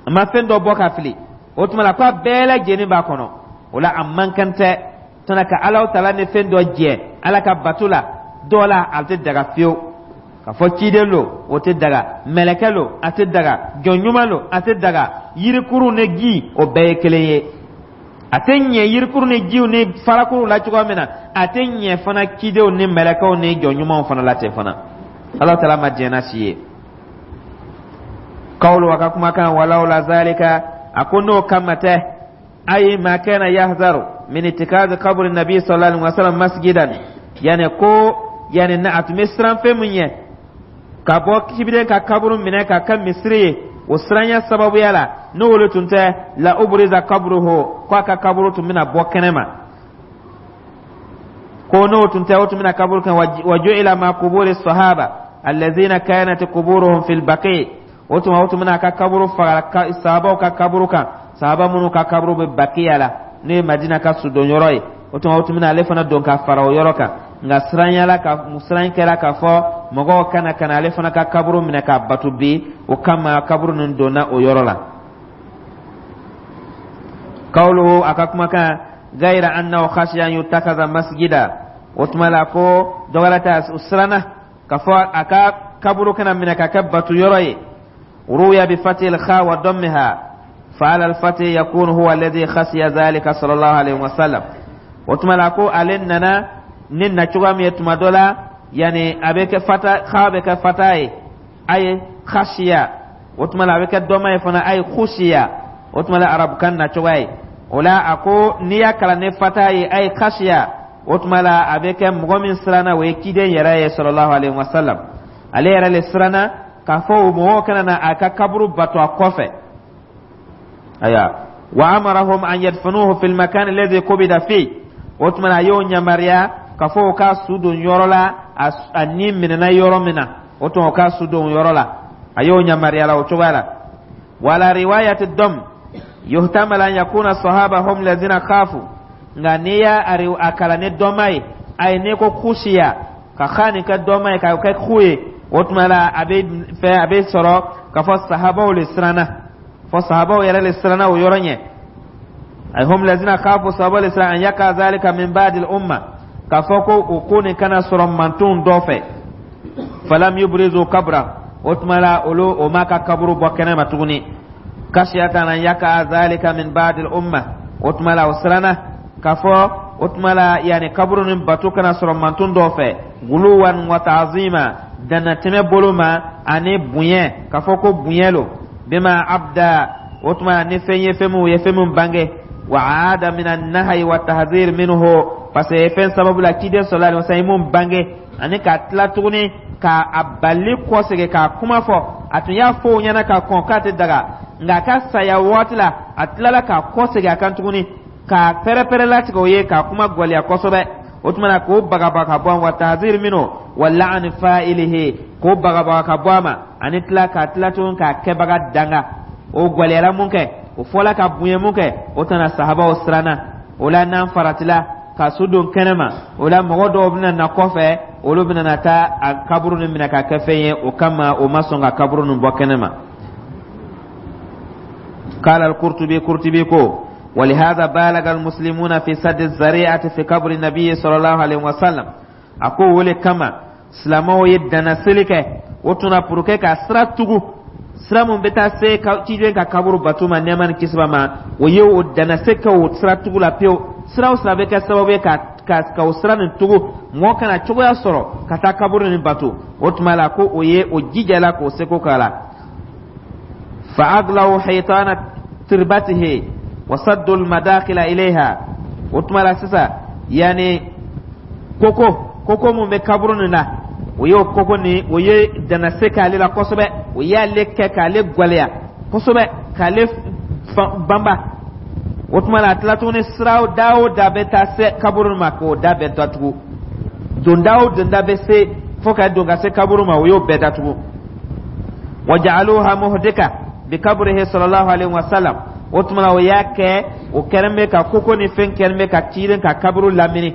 Speaker 1: a ma fɛn dɔ bɔ ka fili. O tuma la, ko a bɛɛ lajɛlen b'a kɔnɔ. O la, a man kan tɛ tɔnɔ ka Ala tala ni fɛn dɔ jɛ Ala ka bato la dɔ la. A tɛ daga fiyewu ka fɔ ciden lo, o tɛ daga. Mɛlɛkɛ lo, a tɛ daga. Jɔn ɲuman lo, a tɛ daga. Yirikuru ni ji, o bɛɛ ye kelen ye. A tɛ ɲɛ yirikuru ni jiw ni farakuru la cogoya min na, a tɛ ɲɛ fana cidenw ni mɛlɛkɛw ni jɔn ɲumanw fana la ten fana. Ala tala ma diɲɛ n'a si ye. Kawulu, a ka kumakan, walawla zalika, a ko n'o kama tɛ, ayi ma kana yahzaru min itikazi qabri nabi sallallahu alaihi wasallam masjidan. Yani ko yani na a tun bɛ siran fɛn min ɲɛ ka bɔ kibiden ka kaburu minɛ ka kɛ misiri ye, o siranya sababuya la, n'o wolo tun tɛ, la ubriza kabruhu, ko a ka kaburu tun bɛna bɔ kɛnɛ ma. Ko n'o tun tɛ, o tun bɛna kaburu kɛ wa ju'ila ma kuburi sahaba allazina kanat kuburuhum fil baqi. O tuma, o tun bɛna a ka kaburu faga sahabaw ka kaburu kan, sahaba minnu ka kaburu bɛ Bakiya la, n'o ye Madina ka sudonyɔrɔ ye. O tuma, o tun bɛna ale fana don ka fara o yɔrɔ kan. Nka siranyala ka siran kɛra k'a fɔ mɔgɔw kana ka na ale fana ka kaburu minɛ k'a bato bi, o kama kaburu ninnu donna o yɔrɔ la. Kawulu, a ka kumakan, gayira annahu khashiya an yutakaza masjida. O tuma la, ko dɔwɛrɛ tɛ, o siranna k'a fɔ a ka kaburu kana minɛ ka kɛ bato yɔrɔ ye. Ruya bi fatil kha wa dammiha fa ala al-fathi yakunu huwa alladhi khashiya dhalika sallallahu alaihi wasallam. O tuma la, ko ale nana ni na cogoya min ye tuma dɔ la, yani a bɛ kɛ fata, kha bɛ kɛ fata ye, aye khashiya. O tuma la, a bɛ kɛ dɔma ye fana, aye khushiya. O tuma la, arabukan na cogoya ye o la. A ko n'i y'a kalan ni fata ye, aye khashiya, o tuma la, a bɛ kɛ mɔgɔ min siranna, o ye ciden yɛrɛ ye sallallahu alaihi wasallam. Ale yɛrɛ le siranna k'a fɔ o mɔgɔw kana na a ka kaburu bato a kɔfɛ. Aya, wa amarahum an yadfunuhu fil makan alladhi qubida fi. O tuma na, a y'o yamaruya k'a fɔ o ka su don yɔrɔ la, a ni minɛna yɔrɔ min na. O tuma, o ka su don yɔrɔ la, a y'o yamaruya la o cogoya la. Wala riwayati dam yuhtamal an yakuna sahaba hum lazina khafu. Nka n'i y'a a kalan ni dɔma ye, ayi, n'i ko kusiya, ka xa nin kɛ dɔma ye ka kɛ ku ye, o tuma la, a bɛ fɛ a bɛ sɔrɔ k'a fɔ sahabaw le siranna, fɔ sahabaw yɛrɛ le siranna o yɔrɔ ɲɛ. Ay hum lazina khafu, sahabaw le siranna, an yaka zalika min ba'di al-umma, k'a fɔ ko o ko nin kana sɔrɔ mantonw dɔ fɛ. Falam yubrizu kabra. O tuma la, olu o ma ka kaburu bɔ kɛnɛ ma tuguni, kashiyatan an yaka zalika min ba'di al-umma. O tuma la, o siranna k'a fɔ o tuma la, yani kaburu ni bato kana sɔrɔ manton dɔ fɛ, guluwan wa ta'zima, dannatɛmɛ bolo ma ani bonya, k'a fɔ ko bonya lo, bima abda. O tuma ni fɛn ye, fɛn min ye fɛn min bange, wa aada min an-nahyi wa tahzir minhu, parce que fɛn sababu la, ciden sallallahu alaihi wasallam ye mun bange, ani ka tila tuguni ka a bali kɔsegin k'a kuma fɔ. A tun y'a fɔ o ɲɛna ka kɔn k'a tɛ daga, nka a ka saya waati la, a tilala k'a kɔsegin a kan tuguni k'a pɛrɛpɛrɛ latigɛ o ye, k'a kuma gwɛlɛya kosɛbɛ. O tuma na, k'o bagabaga ka bɔ a wa tahzir minhu wa la'ani fa'ilihi, k'o bagabaga ka bɔ a ma, ani tila k'a tila tuguni k'a kɛbaga danga. O gwɛlɛyara mun kɛ, o fɔla ka bonya mun kɛ, o tɛna sahabaw siranna o la. N'an faratila ka su don kɛnɛ ma, o la mɔgɔ dɔw bɛna na kɔfɛ, olu bɛna na taa a kaburu nin minɛ ka kɛ fɛn ye. O kama, o ma sɔn ka kaburu nin bɔ kɛnɛ ma. قال القرطبي، قرطبي كو ولهذا بالغ المسلمون في سد الذريعة في قبر النبي صلى الله عليه وسلم. A ko o le kama silamɛw ye dannaseli kɛ o tuna pour que ka sira tugu, sira mun bɛ taa se ciden ka kaburu bato ma, nɛɛma ni kisi b'a ma. O ye o dannase kɛ o sira tugu la pewu. Sira o sira bɛ kɛ sababu ye ka o sira nin tugu, mɔgɔ kana cogoya sɔrɔ ka taa kaburu nin bato. O tuma la, ko o ye o jijala k'o seko k'a la. Fa aglaw haytana tirbatihi wa saddu almadakhila ilayha. O tuma la sisan, yani koko mun bɛ kaburu nin na, o y'o koko nin, o ye dannase k'ale la kosɛbɛ. O y'ale kɛ k'ale gwɛlɛya kosɛbɛ, k'ale banba. O tuma la, a tila tuguni, sira da o da bɛ taa se kaburu ma, k'o da bɛɛ datugu. Donda o donda bɛ se fo ka don ka se kaburu ma, o y'o bɛɛ datugu. Wa ja'aluha muhdika bi kabrihi sallallahu alaihi wa sallam. O tuma la, o y'a kɛ, o kɛlen bɛ ka koko ni fɛn kɛlen bɛ ka cilen ka kaburu lamini.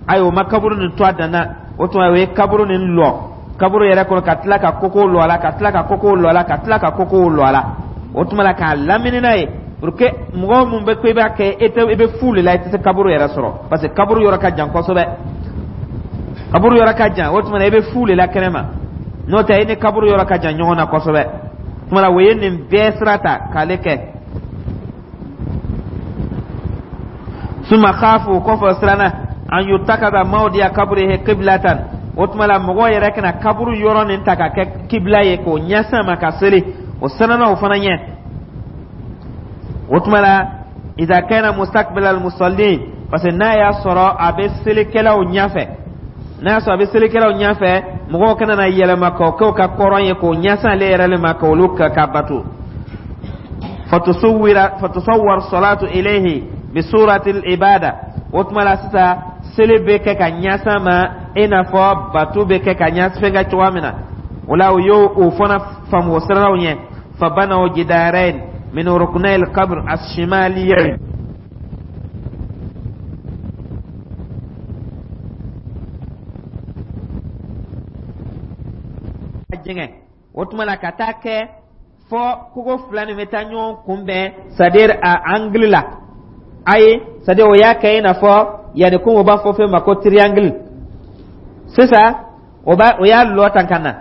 Speaker 1: Ayi, o ma kaburu nin to a dan na. O tuma, o ye kaburu nin lɔ kaburu yɛrɛ kɔnɔ, ka tila ka koko lɔ a la, ka tila ka koko lɔ a la, ka tila ka koko lɔ a la. O tuma la, k'a lamini n'a ye pour que mɔgɔ mun bɛ ko i b'a kɛ, e tɛ, i bɛ fu de la, i tɛ se kaburu yɛrɛ sɔrɔ, parce que kaburu yɔrɔ ka jan kosɛbɛ, kaburu yɔrɔ ka jan. O tuma na, i bɛ fu de la kɛnɛma, n'o tɛ i ni kaburu yɔrɔ ka jan ɲɔgɔn na kosɛbɛ. O tuma na, o ye nin bɛɛ sira ta k'ale kɛ. Suma khafu, kɔfɛ siranna, an yutakada mawdiya kabrihi qiblatan. O tuma la, mɔgɔw yɛrɛ kana kaburu yɔrɔ nin ta ka kɛ kibila ye k'o ɲɛsin a ma ka seli. O siranna o fana ɲɛ. O tuma la, idha kana mustaqbil al musallin, parce que n'a y'a sɔrɔ a bɛ selikɛlaw ɲɛfɛ, n'a y'a sɔrɔ a bɛ selikɛlaw ɲɛfɛ, mɔgɔw kana na yɛlɛma k'o kɛ u ka kɔrɔn ye, k'o ɲɛsin ale yɛrɛ le ma, k'olu ka bato. Fatusawwar salatu ilayhi bi surati al-ibada. O tuma la sisan, seli bɛ kɛ ka ɲɛsin a ma i n'a fɔ bato bɛ kɛ ka ɲɛsin fɛn kɛ cogoya min na. O la, o y'o o fana faamu, o siranna o ɲɛ. Fabanaw jidarain min ruknay al-qabr as-shimaliyayn. Jɛngɛ o tuma la ka taa kɛ fɔ kogo fila nin bɛ taa ɲɔgɔn kunbɛn, c'est à dire a angle la. Ayi, c'est à dire o y'a kɛ i n'a fɔ yanni komi o b'a fɔ fɛn ma ko triangle. Sisan o b'a o y'a lɔ tan ka na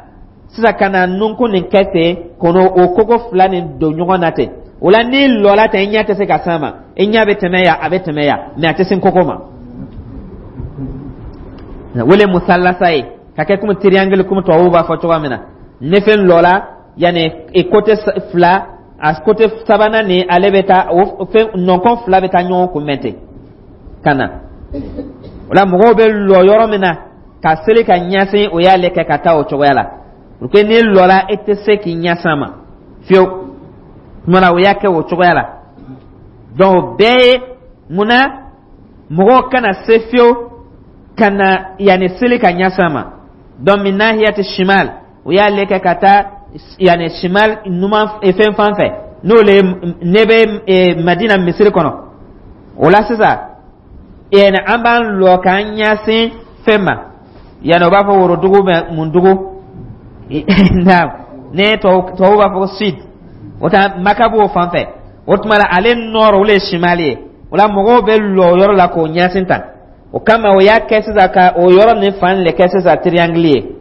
Speaker 1: sisan ka na nunkun nin kɛ ten, k'o o kogo fila nin don ɲɔgɔn na ten. O la, n'i lɔla ten, i ɲɛ tɛ se ka s'a ma. I ɲɛ bɛ tɛmɛ yan, a bɛ tɛmɛ yan, mais a tɛ se koko ma. Wele musalasa ye ka kɛ komi triangle, komi tubabuw b'a fɔ cogoya min na. Ni fɛn lɔla yanni i côté fila, a côté sabanan ni ale bɛ taa, o fɛn nɔnkɔn fila bɛ taa ɲɔgɔn kunbɛn ten ka na. O la, mɔgɔw bɛ lɔ yɔrɔ min na ka seli ka ɲɛsin, o y'ale kɛ ka taa o cogoya la pour que n'i lɔla, e tɛ se k'i ɲɛsin a ma fiyewu. Tuma na, o y'a kɛ o cogoya la. Donc o bɛɛ ye munna mɔgɔw kana se fiyewu ka na yanni seli ka ɲɛsin a ma. Donc min nahiyati shimal, o y'ale kɛ ka taa yanni shimal, numan fɛn fan fɛ, n'o le ne bɛ Madina misiri kɔnɔ. O la sisan, yanni an b'an lɔ k'an ɲɛsin fɛn ma, yanni o b'a fɔ worodugu bɛ mun dugu naam, ne tubabu b'a fɔ ko sud, o ta Maka b'o fan fɛ. O tuma la, ale nord, o le ye shimali ye. O la, mɔgɔw bɛ lɔ o yɔrɔ la k'o ɲɛsin tan. O kama, o y'a kɛ sisan ka o yɔrɔ nin fan le kɛ sisan triangle ye.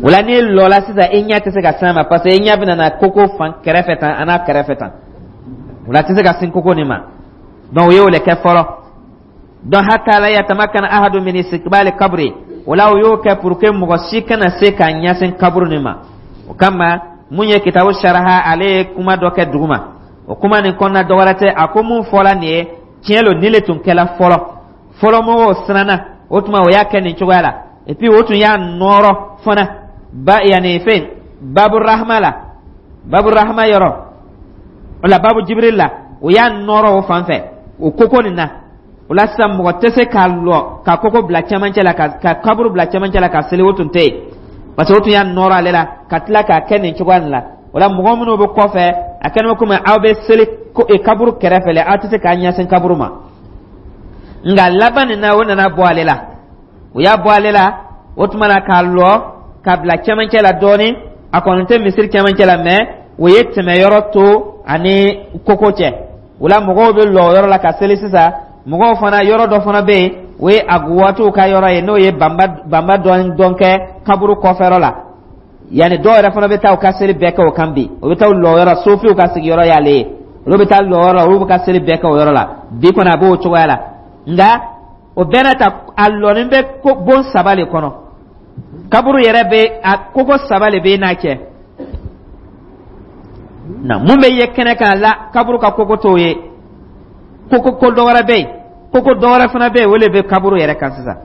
Speaker 1: O la, n'i lɔla sisan, i ɲɛ tɛ se ka s'a ma, parce que i ɲɛ bɛna na koko fan kɛrɛfɛ tan, a n'a kɛrɛfɛ tan. O la, a tɛ se ka sin koko nin ma. Donc o y'o le kɛ fɔlɔ. Donc hatta la yatamakkana ahadu min istiqbali kabri. O la, o y'o kɛ pour que mɔgɔ si kana se ka ɲɛsin kaburu nin ma. O kama, mun ye kitabu saraha, ale ye kuma dɔ kɛ duguma. O kuma nin kɔnɔna dɔ wɛrɛ tɛ. A ko mun fɔla nin ye tiɲɛ lo, nin le tun kɛla fɔlɔ fɔlɔ. Mɔgɔw siranna, o tuma o y'a kɛ nin cogoya la. Et puis o tun y'a nɔrɔ fana ba yanni fɛn babu rahma la, babu rahma yɔrɔ o la, babu Jibril la, o y'a nɔrɔ o fan fɛ o koko nin na. O la sisan, mɔgɔ tɛ se k'a lɔ ka koko bila cɛmancɛ la, ka kaburu bila cɛmancɛ la ka seli. O tun tɛ yen, parce que o tun y'a nɔrɔ ale la ka tila k'a kɛ nin cogoya nin la. O la, mɔgɔ minnu bɛ kɔfɛ, a kɛlen bɛ komi aw bɛ seli kaburu kɛrɛfɛ la, aw tɛ se k'a ɲɛsin kaburu ma. Nka laban nin na, o nana bɔ ale la, o y'a bɔ ale la. O tuma na, k'a lɔ ka bila cɛmancɛ la dɔɔnin. A kɔni tɛ misiri cɛmancɛ la, mais o ye tɛmɛyɔrɔ to ani koko cɛ. O la, mɔgɔw bɛ lɔ o yɔrɔ la ka seli sisan. Mɔgɔw fana, yɔrɔ dɔ fana bɛ yen, o ye aguwatiw ka yɔrɔ ye, n'o ye banba banba dɔɔnin dɔn kɛ kaburu kɔfɛyɔrɔ la. Yanni dɔw yɛrɛ fana bɛ taa u ka seli bɛɛ kɛ o kan bi. O bɛ taa lɔ yɔrɔ, sofiw ka sigiyɔrɔ y'ale ye. Olu bɛ taa lɔ yɔrɔ la, olu bɛ ka seli bɛɛ kɛ o yɔrɔ la. Bi kɔni, a b'o cogoya la. Nka o bɛɛ n'a ta, a lɔnin bɛ ko bon saba le kɔnɔ. Kaburu yɛrɛ bɛ a koko saba le bɛ n'a cɛ na. Mun bɛ ye kɛnɛ kan la, kaburu ka koko t'o ye. Koko ko dɔ wɛrɛ bɛ yen, koko dɔ wɛrɛ fana bɛ yen, o le bɛ kaburu yɛrɛ kan sisan.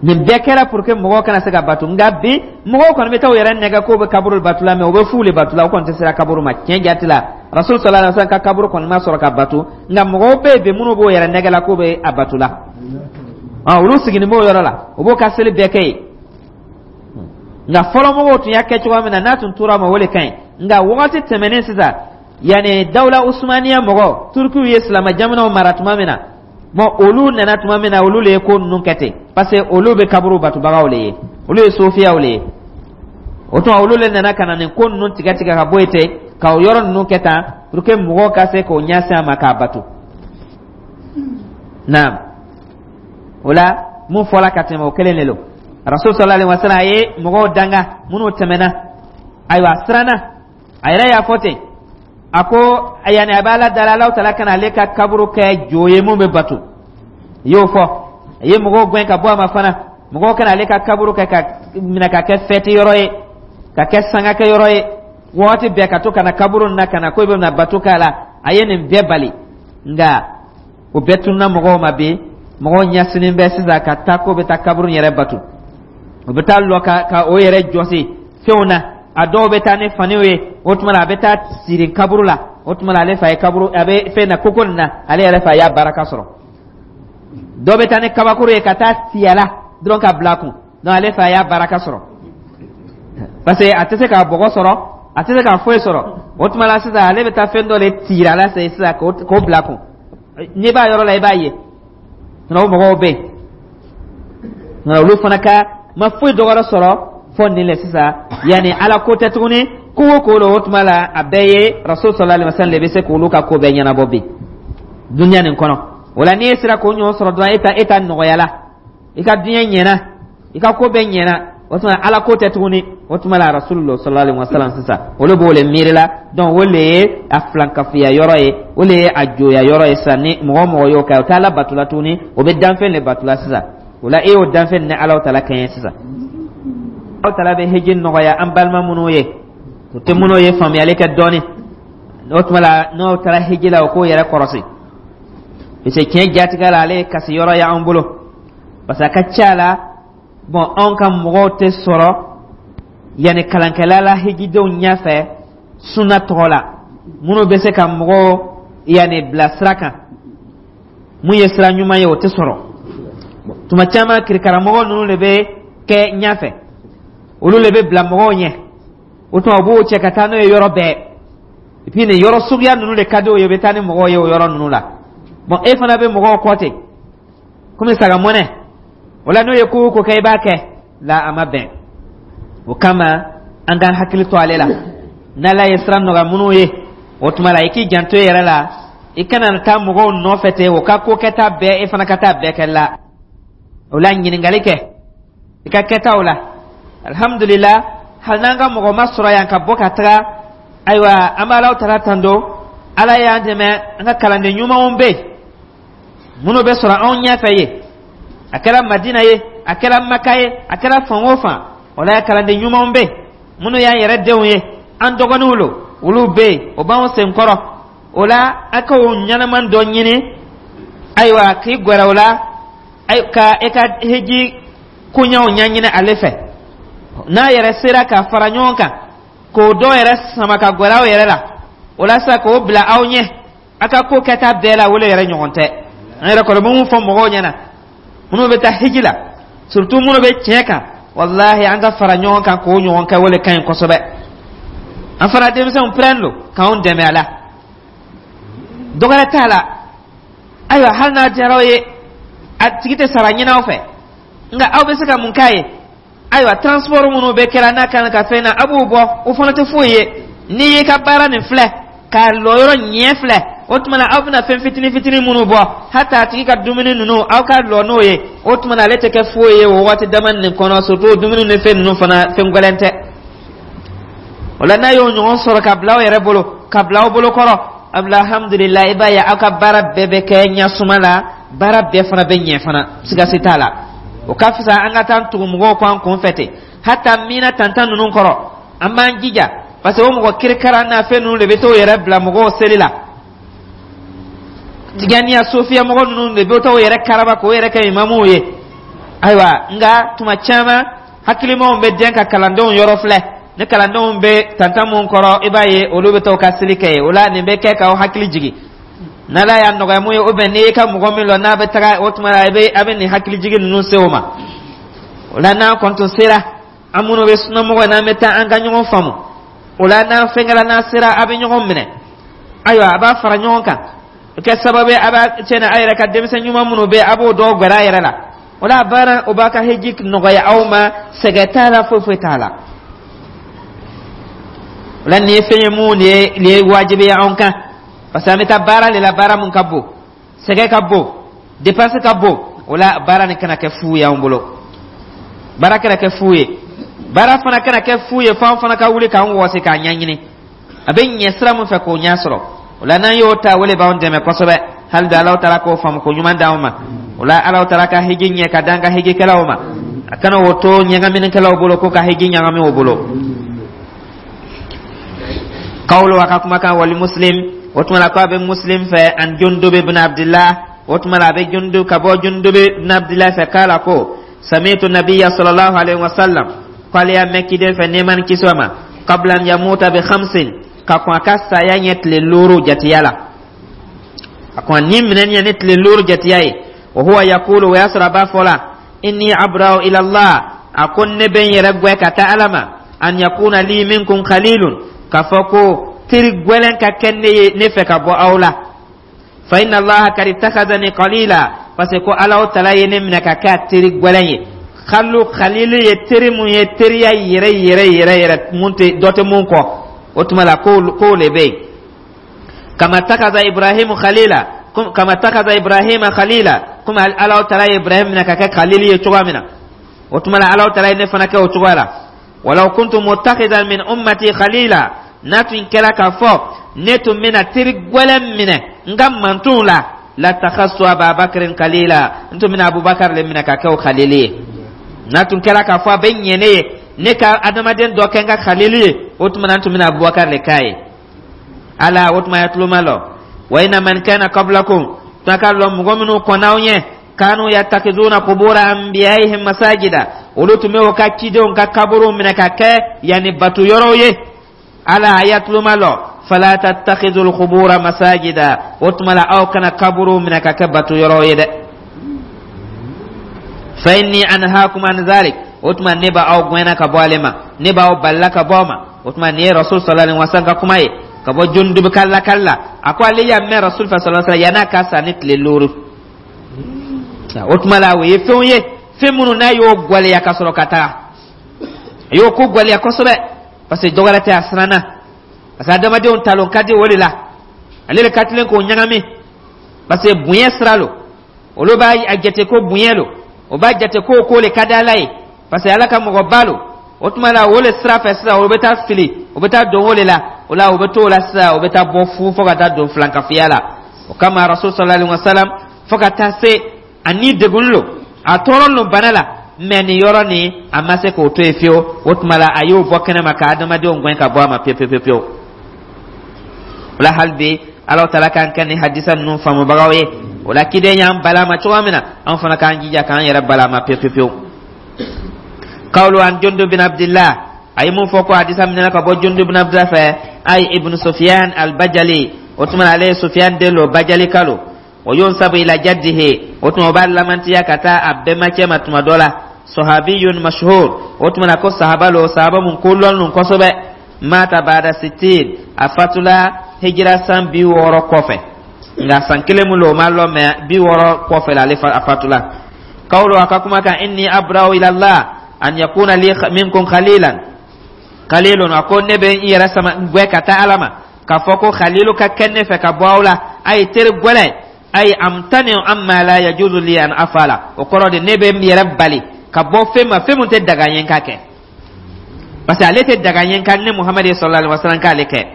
Speaker 1: Nin bɛɛ kɛra pour que mɔgɔw kana se ka bato. Nka bi, mɔgɔw kɔni bɛ taa u yɛrɛ nɛgɛ k'o bɛ kaburu bato la, mais u bɛ fu le bato la. O kɔni tɛ sera kaburu ma tiɲɛ jate la. Rasul sallallahu alaihi wasallam ka kaburu kɔni ma sɔrɔ ka batu, nka mɔgɔw bɛ yen bi minnu b'o yɛrɛ nɛgɛ la k'o bɛ a batu la. Olu sigilen b'o yɔrɔ la, o b'o ka seli bɛɛ kɛ yen. Nka fɔlɔ mɔgɔw tun y'a kɛ cogoya min na, n'a tun tora ma, o de ka ɲi. Nka wagati tɛmɛnen sisan, yanni dawula usumaniya mɔgɔ Turukiw ye silamɛ jamanaw mara tuma min na, bon, olu nana tuma min na, olu le ye ko ninnu kɛ ten, parce que olu bɛ kaburu batubagaw le ye, olu ye sofiyaw le ye. O tuma, olu le nana ka na nin ko ninnu tigɛ tigɛ ka bɔ yen ten, ka o yɔrɔ ninnu kɛ tan pour que mɔgɔw ka se k'o ɲɛsin a ma k'a bato. Naam, o la, mun fɔla ka tɛmɛ, o kelen de don. Rasul sallallahu alaihi wasallam a ye mɔgɔw danga minnu tɛmɛna. Ayiwa, a siranna, a yɛrɛ y'a fɔ ten, a ko yanni a bɛ Ala dala, Alahu Taala kana ale ka kaburu kɛ jo ye mun bɛ bato. I y'o fɔ, a ye mɔgɔw gɛn ka bɔ a ma fana, mɔgɔw kana ale ka kaburu kɛ ka minɛ ka kɛ fɛti yɔrɔ ye, ka kɛ sangakɛ yɔrɔ ye, waati bɛɛ ka to ka na kaburu na ka na ko i bɛ na bato k'a la. A ye nin bɛɛ bali, nka o bɛɛ tununa mɔgɔw ma. Bi, mɔgɔw ɲɛsinnen bɛ sisan ka taa ko bɛ taa kaburu yɛrɛ bato. O bɛ taa lɔ ka o yɛrɛ jɔsi fɛnw na. A dɔw bɛ taa ni faniw ye. O tuma na, a bɛ taa siri kaburu la. O tuma na, ale fa ye kaburu, a bɛ fɛn na koko nin na, ale yɛrɛ fa y'a baraka sɔrɔ. Dɔw bɛ taa ni kabakuru ye ka taa fiyɛ la dɔrɔn ka bila kun, donc ale fa y'a baraka sɔrɔ, parce que a tɛ se k'a bɔgɔ sɔrɔ, a tɛ se k'a foyi sɔrɔ. O tuma la sisan, ale bɛ taa fɛn dɔ de tira la sisan k'o bila kun. N'i b'a yɔrɔ la, i b'a ye o mɔgɔw bɛ yen, nka olu fana ka ma foyi dɔwɛrɛ sɔrɔ fɔ nin le sisan. Yanni Ala ko tɛ tuguni, ko o ko la, o tuma la, a bɛɛ ye Rasul sallallahu alaihi wasallam de bɛ se k'olu ka ko bɛɛ ɲɛnabɔ bi dunuya nin kɔnɔ. O la, n'i ye sera k'o ɲɔgɔn sɔrɔ dɔrɔn, e ta nɔgɔya la, i ka diɲɛ ɲɛna, i ka ko bɛɛ ɲɛna. O tuma, Ala ko tɛ tuguni, o tuma la, Rasulullah sallallahu alaihi wasallam sisan, olu b'o le miiri la. Donc o le ye a filankafoya yɔrɔ ye, o le ye a joya yɔrɔ ye sisan. Ni mɔgɔ o mɔgɔ y'o kɛ, o tɛ Ala batula tuguni, o bɛ danfɛn le batula sisan. O la, e y'o danfɛn ni Ala tala kɛɲɛ sisan. Aw tala bɛ hiji nɔgɔya an balima minnu ye, o tɛ minnu ye faamuyali kɛ dɔɔni, o tuma la, n'o taara hiji la, o k'o yɛrɛ kɔrɔsi, parce que tiɲɛ jatigɛ la, ale ye kasi yɔrɔ ye anw bolo, parce que a ka ca la, bon, anw ka mɔgɔw tɛ sɔrɔ yanni kalankɛla la hijidenw ɲɛfɛ sunna tɔgɔ la, minnu bɛ se ka mɔgɔw yanni bila sira kan mun ye sira ɲuman ye, o tɛ sɔrɔ. Tuma caman, kirikaramɔgɔ ninnu de bɛ kɛ ɲɛfɛ, olu de bɛ bila mɔgɔw ɲɛ. O tuma, u b'o cɛ ka taa n'o ye yɔrɔ bɛɛ. Et puis nin yɔrɔ suguya ninnu de ka di o ye, u bɛ taa ni mɔgɔw ye o yɔrɔ ninnu la. Bon, e fana bɛ mɔgɔw kɔ ten komi saga mɔnɛ. O la, n'o ye ko o ko kɛ, i b'a kɛ la, a ma bɛn. O kama, an k'an hakili to ale la. N'Ala ye sira nɔgɔya minnu ye, o tuma la, i k'i janto i yɛrɛ la, i kana taa mɔgɔw nɔfɛ ten, o ka ko kɛta bɛɛ, e fana ka taa bɛɛ kɛ la. O la, ɲininkali kɛ i ka kɛtaw la. Alhamdulillah, hali n'an ka mɔgɔ ma sɔrɔ yan ka bɔ ka taga, ayiwa, an bɛ Alaw tala tando, Ala y'an dɛmɛ, an ka kalanden ɲumanw bɛ yen minnu bɛ sɔrɔ anw ɲɛfɛ ye, a kɛra Madina ye, a kɛra Maka ye, a kɛra fan o fan. O la, kalanden ɲumanw bɛ yen minnu y'an yɛrɛ denw ye, an dɔgɔninw lo, olu bɛ yen, o b'anw sen kɔrɔ. O la, a ka o ɲɛnama dɔ ɲini, ayiwa, k'i gɛrɛ o la ka e ka hiji koɲaw ɲɛɲini ale fɛ. N'a yɛrɛ sera ka fara ɲɔgɔn kan k'o dɔ yɛrɛ sama ka gɛrɛ aw yɛrɛ la, o la sisan, k'o bila aw ɲɛ a ka ko kɛta bɛɛ la, o le yɛrɛ ɲɔgɔn tɛ. An yɛrɛ kɔni bɛ mun fɔ mɔgɔw ɲɛna minnu bɛ taa hiji la, surtout minnu bɛ tiɲɛ kan, walahi, an ka fara ɲɔgɔn kan k'o ɲɔgɔn kɛ, o le ka ɲi kosɛbɛ. An fana denmisɛnw pɛrɛn don k'anw dɛmɛ a la, dɔwɛrɛ t'a la. Ayiwa, hali n'a diyara aw ye, a tigi tɛ sara ɲini aw fɛ, nka aw bɛ se ka mun k'a ye? Ayiwa, transport minnu bɛ kɛra n'a kan ka fɛn na, a b'o bɔ, o fana tɛ foyi ye. N'i y'i ka baara nin filɛ k'a lɔ yɔrɔ ɲɛ filɛ, o tuma na, aw bɛna fɛn fitinin fitinin minnu bɔ, hata a tigi ka dumuni ninnu, aw ka lɔ n'o ye, o tuma na, ale tɛ kɛ foyi ye o waati dama nin kɔnɔ. Surtout dumuni ni fɛn ninnu fana, fɛn gɛlɛn tɛ. O la, n'a y'o ɲɔgɔn sɔrɔ ka bila aw yɛrɛ bolo, ka bila aw bolo kɔrɔ, alhamdulillah, i b'a ye aw ka baara bɛɛ bɛ kɛ ɲɛsuma la, baara bɛɛ fana bɛ ɲɛ fana, sigasi t'a la. O ka fisa an ka taa tugu mɔgɔw kɔ an kun fɛ ten. Hata mina tantan ninnu kɔrɔ, an b'an jija, parce que o mɔgɔ kirikara n'a fɛn ninnu de bɛ t'o yɛrɛ bila mɔgɔw seli la. Tijaniya sofiya mɔgɔ ninnu de bɛ t'o yɛrɛ karaba k'o yɛrɛ kɛ imamuw ye. Ayiwa, nka tuma caman, hakilimaw bɛ den ka kalandenw yɔrɔ filɛ. Ni kalandenw bɛ tantan mun kɔrɔ, i b'a ye olu bɛ taa u ka seli kɛ yen. O la, nin bɛ kɛ k'aw hakili jigin. N'Ala y'a nɔgɔya mun ye, ou bien n'i y'i ka mɔgɔ min lɔ n'a bɛ taga, o tuma la i bɛ a bɛ nin hakili jigin ninnu se o ma. O la, n'an kɔni tun sera, an minnu bɛ sunamɔgɔ, n'an bɛ taa, an ka ɲɔgɔn faamu. O la, n'an fɛnkɛla, n'an sera, a bɛ ɲɔgɔn minɛ. Ayiwa, a b'a fara ɲɔgɔn kan, o kɛ sababu ye a b'a tiɲɛna a yɛrɛ ka denmisɛn ɲuman minnu bɛ yen, a b'o dɔw gɛrɛ a yɛrɛ la. O la, a baara o b'a ka heji nɔgɔya aw ma, sɛgɛn t'a la, foyi foyi t'a la. O la, nin ye fɛn ye mun ye, nin ye wajibi ye anw kan, parce que an bɛ taa baara de la, baara mun ka bon, sɛgɛn ka bon, dépense ka bon. O la, baara nin kana kɛ fu ye anw bolo, baara kana kɛ fu ye, baara fana kana kɛ fu ye, f'an fana ka wuli k'an wɔsi k'a ɲɛɲini a bɛ ɲɛ sira mun fɛ k'o ɲɛ sɔrɔ. O la, n'an y'o ta, o de b'anw dɛmɛ kosɛbɛ. Hali bi, Alahu Taala k'o faamu ko ɲuman d'anw ma. O la, Alahu Taala ka hiji ɲɛ ka d'an ka hijikɛlaw ma, a kana o to ɲagaminikɛlaw bolo ko ka hiji ɲagami o bolo. Kawlo, a ka kumakan, wali Muslim, o tuma la ko a bɛ Muslim fɛ, an Jundub ibn Abdillah, o tuma la a bɛ Jundub, ka bɔ Jundub ibn Abdillah fɛ, k'a la ko samitu nabiya sallallahu alaihi wasallam, k'ale y'a mɛn kiden fɛ, nɛɛma ni kisi ma, qabla an yamuta bi khamsin, ka kɔn a ka saya ɲɛ tile 5 jatiya la, a kɔn ni minɛ ɲɛ ni tile 5 jatiya ye. Wa huwa yakulu, o y'a sɔrɔ a b'a fɔ la, inni abra'u ila Allah, a ko ne bɛ n yɛrɛ gwɛ ka taa Ala ma, an yakuna li minkum khalilun, k'a fɔ ko teri gwɛlɛn ka kɛ ne ye ne fɛ ka bɔ aw la. Fa inna Allaha kad ittakhadhani qalila, parce que ko Ala Taala ye ne minɛ ka kɛ a teri gwɛlɛn ye. Khalu, khalilu ye teri mun ye, teriya yɛrɛ yɛrɛ yɛrɛ yɛrɛ, mun tɛ dɔ tɛ mun kɔ. O tuma la, ko le bɛ yen, kama takaza Ibrahimu khalila, kama takaza Ibrahima khalila, komi Ala Taala ye Ibrahim minɛ ka kɛ khalili ye cogoya min na, o tuma la Ala Taala ye ne fana kɛ o cogoya la. Walaw kuntu mutakhidan min ummati khalila, n'a tun kɛra k'a fɔ ne tun bɛna teri gwɛlɛn minɛ n ka mantonw la, latakhastu Ababakrin khalila, n tun bɛna Abubakar le minɛ ka kɛ o khalili ye. N'a tun kɛra k'a fɔ a bɛ ɲɛ ne ye ne ka adamaden dɔ kɛ n ka khalili ye, o tuma na n tun bɛna Abubakar le k'a ye. Ala, o tuma ya tuloma lɔ, wa inna man kana qablakum, tuma k'a lɔn mɔgɔ minnu kɔnna aw ɲɛ, kanu yatakizuna kubura anbiyaihim masajida, olu tun bɛ o ka cidenw ka kaburuw minɛ ka kɛ yanni batu yɔrɔw ye. Ala, a ya tuloma lɔ, fala tattakhidul kubura masajida, o tuma la aw kana kaburuw minɛ ka kɛ batu yɔrɔw ye dɛ. Fa inni anhaakum an zalik, o tuma ne b'aw gɛnna ka bɔ ale ma, ne b'aw balila ka bɔ a ma. O tuma nin ye Rasul sallallahu alaihi wasallam ka kuma ye ka bɔ Jundub ka lakali la. A ko ale y'a mɛn Rasul fɛ sallallahu alaihi wasallam yann'a ka sa ni tile 5. O tuma la, o ye fɛnw ye, fɛn minnu n'a y'o gwaleya ka sɔrɔ ka taga, a y'o ko gwaleya kosɛbɛ, parce que dɔwɛrɛ tɛ, a siranna, parce que adamadenw talon ka di o de la, ale de ka tilen k'o ɲagami, parce que bonya sira lo, olu b'a jate ko bonya lo, o b'a jate ko ko le ka di Ala ye, parce que Ala ka mɔgɔba lo. O tuma la, o le sira fɛ sisan, o bɛ taa fili, o bɛ taa don o de la. O la, o bɛ to o la sisan, o bɛ taa bɔ fu fo ka taa don filankafiya la. O kama, Rasul sallallahu alaihi wa sallam, fo ka taa se a ni degun lo, a tɔɔrɔ lo bana la, mɛ nin yɔrɔ nin, a ma se k'o to yen fiyewu. O tuma la, a y'o bɔ kɛnɛ ma ka adamadenw gɛn ka bɔ a ma pewu pewu pewu. O la, hali bi, Ala Taala k'an kɛ ni hadisa ninnu faamubagaw ye. O la, kiden y'an bala ma cogoya min na, an fana k'an jija k'an yɛrɛ bala ma pewu pewu pewu. Kawlu an Jundub bin Abdillah, a ye mun fɔ ko hadisa minɛna ka bɔ Jundub bin Abdillah fɛ, ay ibn Sufyan al-Bajali, o tuma ale ye Sufyan den lo, Bajali kalo. Wa yunsabu ila jaddihi, o tuma o b'a lamantiya ka taa a bɛnbakɛ ma tuma dɔ la. Sahabiyun mashhur, o tuma na ko sahaba lo, sahaba mun ko lɔn nun kosɛbɛ. Mata bada sitin, a fatula hijira san 60 kɔfɛ, nka san kelen mun lo, o ma lɔn, mɛ 60 kɔfɛ la ale a fatula. Kawlo, a ka kuma kan, inni abra'u ila Allah an yakuna li minkum khalilan khalilun, a ko ne bɛ n yɛrɛ sama gwɛ ka taa Ala ma k'a fɔ ko khalilu ka kɛ ne fɛ ka bɔ aw la, a ye teri gwɛlɛ, ay amtani amma la yajuzu li an afala. O kɔrɔ de, ne bɛ n yɛrɛ bali ka bɔ fɛn ma, fɛn mun tɛ daga ye n ka kɛ, parce que ale tɛ daga ye n ka ne Muhamadu sallallahu alaihi wasallam k'ale kɛ.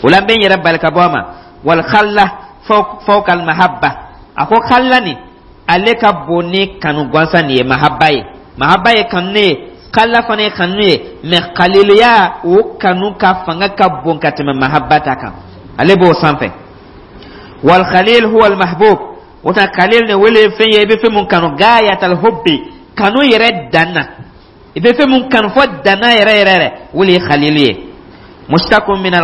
Speaker 1: O la, n bɛ n yɛrɛ bali ka bɔ a ma. Wal khalla fawqa al mahabba, a ko khalla nin, ale ka bon ni kanu gansan nin ye. Mahabba ye, mahabba ye kanu ye, khalla fana ye kanu ye, mɛ khaliluya, o kanu ka fanga ka bon ka tɛmɛ mahabba ta kan, ale b'o sanfɛ. Wal khalil huwa al mahbub, o ta khalil ne wele fɛn ye i bɛ fɛn mun kanu, gayatal hubbi, kanu yɛrɛ dan na. I bɛ fɛn mun kanu fɔ danna yɛrɛ yɛrɛ yɛrɛ, o le ye khalilu ye. Mustakun min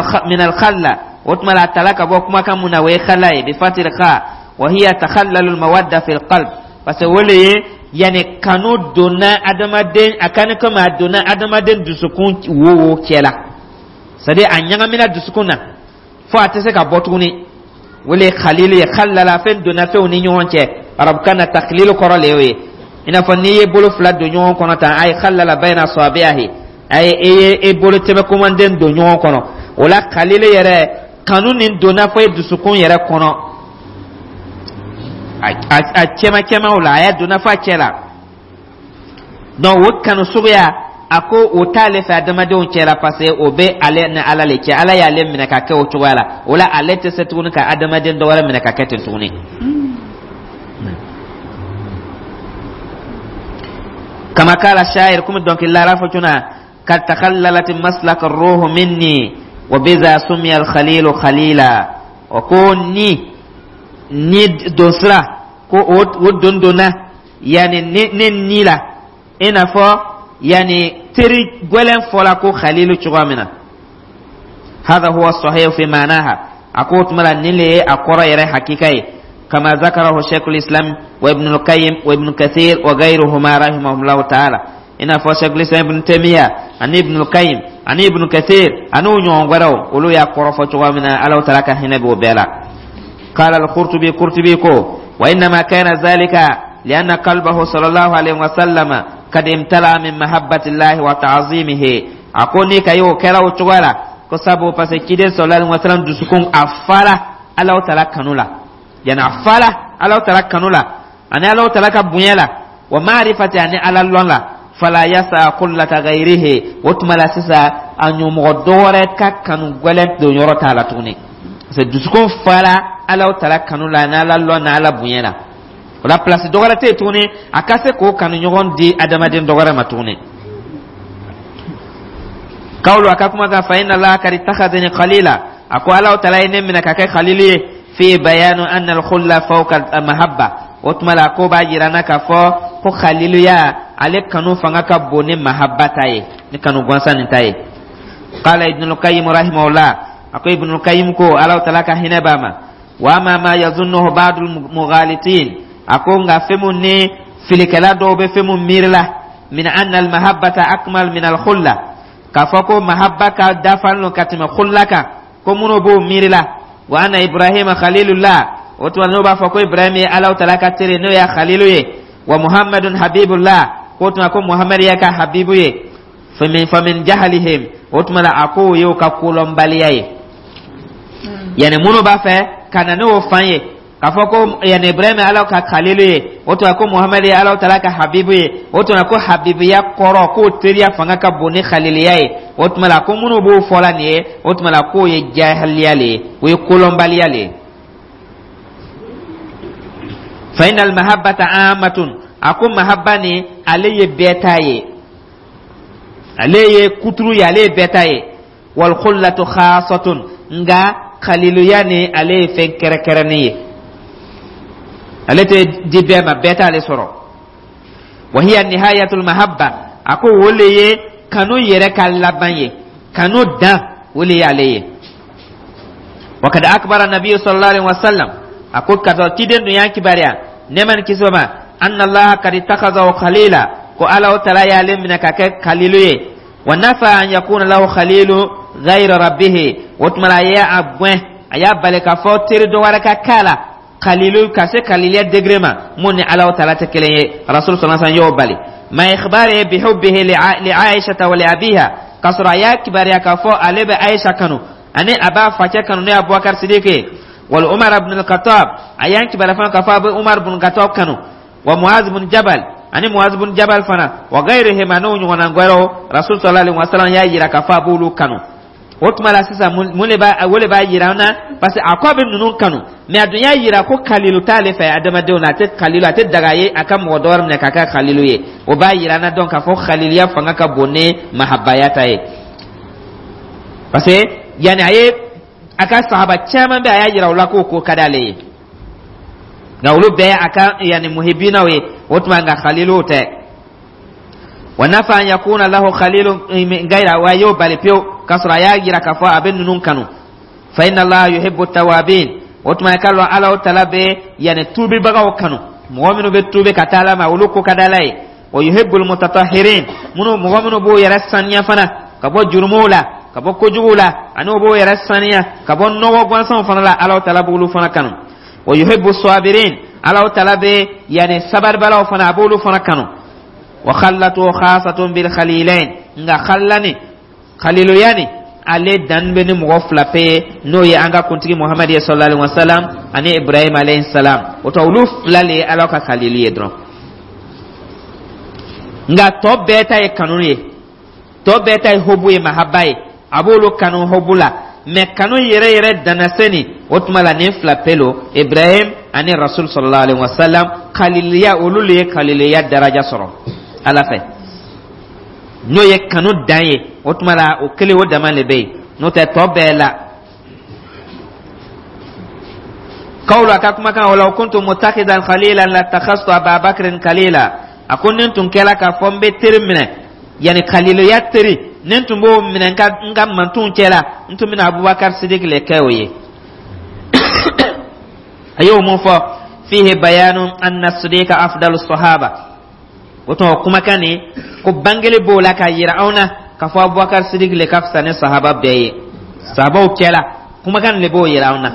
Speaker 1: alkhalla, o tuma la a tala ka bɔ kumakan mun na, o ye khala ye, bi fatil kha, wa hiya takhallalu almawadda fi alqalb, parce que o le ye yani kanu donna adamaden a kan, komi a donna adamaden dusukun wo cɛ la, c'est à dire a ɲagamina dusukun na fo a tɛ se ka bɔ tuguni, o le ye khalilu ye. Khallala, fɛn donna fɛnw ni ɲɔgɔn cɛ, arabukan na takhlilu kɔrɔ le y'o ye. I n'a fɔ n'i ye bolo fila don ɲɔgɔn kɔnɔ tan, a ye khallala bayna asabi'ihi, a ye e ye e bolo tɛbɛkomanden don ɲɔgɔn kɔnɔ. O la khalilu yɛrɛ, kanu nin donna fo e dusukun yɛrɛ kɔnɔ, a cɛma cɛmaw la, a y'a donna fo a cɛ la. Donc o kanu suguya, a ko o t'ale fɛ adamadenw cɛ la, parce que o bɛ ale ni Ala le cɛ. Ala y'ale minɛ ka kɛ o cogoya la, o la ale tɛ se tuguni ka adamaden dɔ wɛrɛ minɛ ka kɛ ten tuguni. Kama kala shayir, komi dɔnkilidala fɔ cuna: kad takhallalat maslaka ruhu minni wa biza sumiya alkhalilu khalila. O ko ni donsira ko o don donna yani ne ni la, i n'a fɔ yani teri gwɛlɛn fɔla ko khalilu cogoya min na. Hada huwa sahih fi ma'naha, a ko o tuma la nin le ye a kɔrɔ yɛrɛ hakika ye, kama zakarahu sheikhul islam wa ibn al-qayyim wa ibn kathir wa ghayruhuma rahimahumullahu ta'ala, i n'a fɔ sheikhul islam Ibn Taymiya ani Ibn al-Qayyim ani Ibn Kathir ani u ɲɔgɔn wɛrɛw, olu y'a kɔrɔ fɔ cogoya min na. Ala taala ka hinɛ b'o bɛɛ la. Qala al-Qurtubi, Qurtubi ko: wa innama kana zalika lianna qalbahu sallallahu alaihi wa sallama kad imtala min mahabbati llahi wa ta'zimihi. A ko ni ka y'o kɛra o cogoya la, ko sabu parce que ciden sallallahu alaihi wa sallam dusukun a fara Ala taala kanu la, yani a fara Ala taala kanu la ani Ala taala ka bonya la, wa ma'rifati, ani Ala lɔn la. Fala yasa kullata ghayrihi, o tuma la sisan a ɲɔmɔgɔ dɔ wɛrɛ ka kanu gwɛlɛn don yɔrɔ t'a la tuguni, parce que dusukun fara Ala taala kanu la ni Ala lɔn ni Ala bonya la. O la place dɔ wɛrɛ tɛ yen tuguni a ka se k'o kanu ɲɔgɔn di adamaden dɔ wɛrɛ ma tuguni. Kawulu, a ka kuma kan, fa inna Allaha kad ittakhadhani khalila, a ko Ala taala ye ne minɛ ka kɛ khalili ye. Fi bayanu anna al-khulla fawqa al-mahabba, o tuma la ko b'a jira na k'a fɔ ko khaliluya ale kanu fanga ka bon ni mahabba ta ye, ni kanu gansan nin ta ye. Qala Ibn al-Qayyim rahimahullah, a ko Ibn al-Qayyim ko, Ala taala ka hinɛ b'a ma: wa amma ma yazunnuhu ba'du al-mughalitin, a ko nka fɛn mun ni filikɛla dɔw bɛ fɛn mun miiri la, min anna al-mahabbata akmal min al-khulla, k'a fɔ ko mahabba ka dafalen don ka tɛmɛ khulla kan, ko minnu b'o miiri la, wa anna Ibrahima khalilullah, o tuma n'o b'a fɔ ko Ibrahim ye Ala taala ka teri, n'o y'a khalilu ye, wa Muhammadun habibullah, k'o tuma ko Muhammad y'a ka habibu ye, famin jahalihim, o tuma la a k'o y'o ka kolɔnbaliya ye. Yani minnu b'a fɛ ka na n'o fan ye k'a fɔ ko yani Ibrahim Ala ka khalilu ye, o tuma ko Muhammad ye Ala taala ka habibu ye, o tuma ko habibuya kɔrɔ k'o teriya fanga ka bon ni khaliliya ye, o tuma la ko minnu b'o fɔla nin ye, o tuma la k'o ye jahiliya le ye, o ye kolɔnbaliya le ye. Fa inna al-mahabbata ammatun, a ko mahabba ni ale ye bɛɛ ta ye, ale ye kuturu ye, ale ye bɛɛ ta ye. Wal khullatu khasatun, nka khaliluya ni ale ye fɛn kɛrɛkɛrɛnnen ye, ale tɛ di bɛɛ ma, bɛɛ t'ale sɔrɔ. Wa hiya nihayatul mahabba, a ko o le ye kanu yɛrɛ ka laban ye, kanu dan o le y'ale ye. Wa kad akbara nabiyyu sallallahu alaihi wasallam, a ko ka sɔrɔ ciden dun y'an kibaruya, nɛɛma ni kisi ma, anna Allaha kad ittakhadhahu khalila, ko Ala taala y'ale minɛ ka kɛ khalilu ye. Wa nafa an yakuna lahu khalilu ghayra rabbihi, o tuma la a y'a gɛn, a y'a bali k'a fɔ teri dɔ wɛrɛ ka k'a la khalilu, ka se khaliliya degré ma mun ni Ala taala tɛ kelen ye. Rasul sallallahu alaihi wasallam y'o bali. Ma ikhbari bihubbihi li Aisha wa li abiha, k'a sɔrɔ a y'a kibaruya k'a fɔ ale bɛ Aisha kanu ani a b'a facɛ kanu, n'o ye Abubakar Sidiki ye. Wal Umar ibn al-Khattab, a y'an kibaruya fana k'a fɔ a bɛ Umar ibn Khattab kanu, wa Muaz ibn Jabal, ani Muaz ibn Jabal fana, wa gayrihim, n'o ɲɔgɔnna wɛrɛw. Rasul sallallahu alaihi wasallam y'a yira k'a fɔ a b'olu kanu. O tuma la sisan mun de b'a o de b'a yira an na? Parce que a ko a bɛ ninnu kanu, mais a dun y'a yira ko kalilu t'ale fɛ adamadenw na, a tɛ kalilu, a tɛ daga ye a ka mɔgɔ dɔ wɛrɛ minɛ k'a kɛ kalilu ye. O b'a yira an na donc k'a fɔ khaliliya fanga ka bon ni mahabaya ta ye, parce que yanni a ye a ka sahaba caman bɛ, a y'a yira o la k'o ko ka d'ale ye, nka olu bɛɛ a ka yanni muhibinaw ye, o tuma nka khaliluw tɛ. Wa nafa an yakuna lahu khalilun min gayra, wa y'o bali pewu k'a sɔrɔ a y'a yira k'a fɔ a bɛ ninnu kanu. Fa inna Allaha yuhibbu tawabin. O tuma, i k'a lɔn Ala tala bɛ yanni tuubibagaw kanu, mɔgɔ minnu bɛ tuubi ka taa Ala ma, olu ko ka di Ala ye. Wa yuhibbul mutatahhirin, minnu, mɔgɔ minnu b'o yɛrɛ saniya fana ka bɔ jurumuw la, ka bɔ kojuguw la, ani u b'o yɛrɛ saniya ka bɔ nɔgɔ gansanw fana la, Ala tala b'olu fana kanu. Wa yuhibbu sabirin, Ala tala bɛ yanni sabaribalaw fana, a b'olu fana kanu. Wa khallatu khasatun bil khalilain, nka khallani, khaliluya ni, ale dan bɛ ni mɔgɔ fila pe ye, n'o ye an ka kuntigi Muhamadu ye sallallahu alaihi wa sallam ani Ibrahim alayhi salam. O tɔ, olu fila le ye Ala ka khalilu ye dɔrɔn, nka tɔ bɛɛ ta ye kanu ye, tɔ bɛɛ ta ye hobu ye, mahaba ye, a b'olu kanu hobu la. Mɛ kanu yɛrɛ yɛrɛ danna nin o tuma la, nin fila pe lo, Ibrahim ani Rasul sallallahu alaihi wa sallam. Khaliluya, olu le ye khaliluya daraja sɔrɔ Ala fɛ, n'o ye kanu dan ye. O tuma la, o kelen o dama le bɛ yen, n'o tɛ tɔ bɛɛ la. Kawulu, a ka kumakan: walaw kuntu mutakidan khalilan latakhastu Ababakrin khalila. A ko ni n tun kɛla k'a fɔ n bɛ teri minɛ, yanni khaliluya teri, ni n tun b'o minɛ n ka mantonw cɛ la, n tun bɛna Abubakar Sidik le kɛ o ye. A y'o mun fɔ? Fihi bayanu anna Sidika afdalu sahaba. O tuma, o kumakan nin ko bangeli b'o la k'a yira anw na k'a fɔ Abubakar Sidik le ka fisa ni sahaba bɛɛ ye sahabaw cɛ la. Kumakan le b'o yira anw na,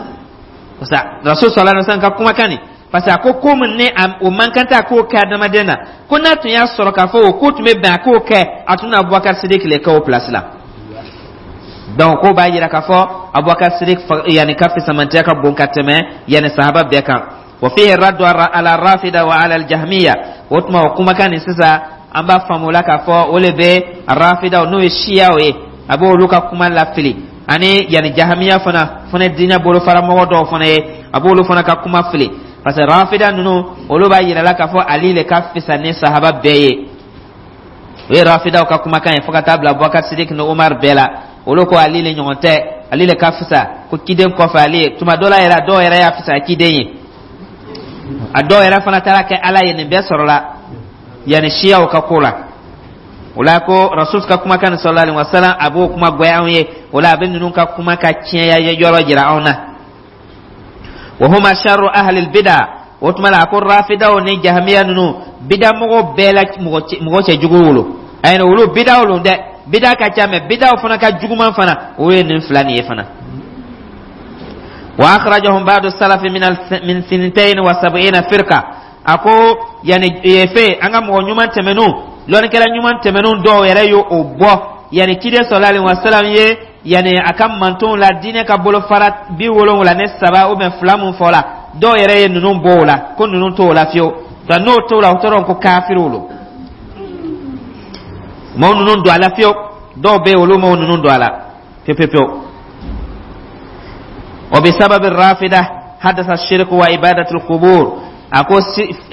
Speaker 1: parce que Rasul sallallahu alaihi wasallam ka kumakan nin, parce que a ko ko min ni o man kan tɛ a k'o kɛ adamaden na, ko n'a tun y'a sɔrɔ k'a fɔ o ko tun bɛ bɛn a k'o kɛ, a tun na Abubakar Sidik le kɛ o place la. Donc ko b'a yira k'a fɔ Abubakar Sidik yanni ka fisamantiya ka bon ka tɛmɛ yanni sahaba bɛɛ kan. Wa fihi raddu ala rafida wa ala aljahmiya. O tuma, o kumakan nin sisan, an b'a faamu o la k'a fɔ o le bɛ rafidaw, n'o ye siyaw ye, a b'olu ka kuma lafili, ani yanni jahamiya fana, diinɛ bolofaramɔgɔ dɔw fana ye, a b'olu fana ka kuma fili, parce que rafida ninnu, olu b'a yira la k'a fɔ Ali le ka fisa ni sahaba bɛɛ ye. O ye rafidaw ka kumakan ye, fo ka taa bila Abubakar Sidik ni Umar bɛɛ la. Olu ko Ali le ɲɔgɔn tɛ, Ali le ka fisa, ko ciden kɔfɛ Ali ye. Tuma dɔ la yɛrɛ, dɔw yɛrɛ y'a fisa ciden ye, a dɔw yɛrɛ fana taara kɛ Ala ye. Nin bɛɛ sɔrɔla yanni siyaw ka ko la. O la, ko Rasul ka kumakan sallallahu alaihi wasallam, a b'o kuma gbɛ anw ye. O la, a bɛ ninnu ka kuma ka tiɲɛya yɔrɔ jira anw na. Wa huma sharru ahli albida. O tuma la, a ko rafidaw ni jahamiya ninnu, bidamɔgɔ bɛɛ la mɔgɔ cɛ jugu wolo ayi, olu bidaw lo dɛ, bida ka ca, mɛ bidaw fana ka juguman fana, o ye nin fila nin ye fana. Wa akhrajahum ba'du salafi min 72 firqa. A ko yani fe an ka mɔgɔ ɲuman tɛmɛnw, lɔnnikɛla ɲuman tɛmɛnw dɔw yɛrɛ y'o o bɔ, yani ciden sallallahu alaihi wasallam ye yani a ka mantonw la diinɛ ka bolofara 73 ou bien fila mun fɔ la, dɔw yɛrɛ ye ninnu bɔ o la, ko ninnu t'o la fiyewu. Nka n'o t'o la, o tɔrɔ ko kafiriw lo, maaw ninnu don a la fiyewu. Dɔw bɛ yen, olu m'o ninnu don a la pewu pewu pewu. Wa bi sababi rafida hadasa shirku wa ibadatul qubur. A ko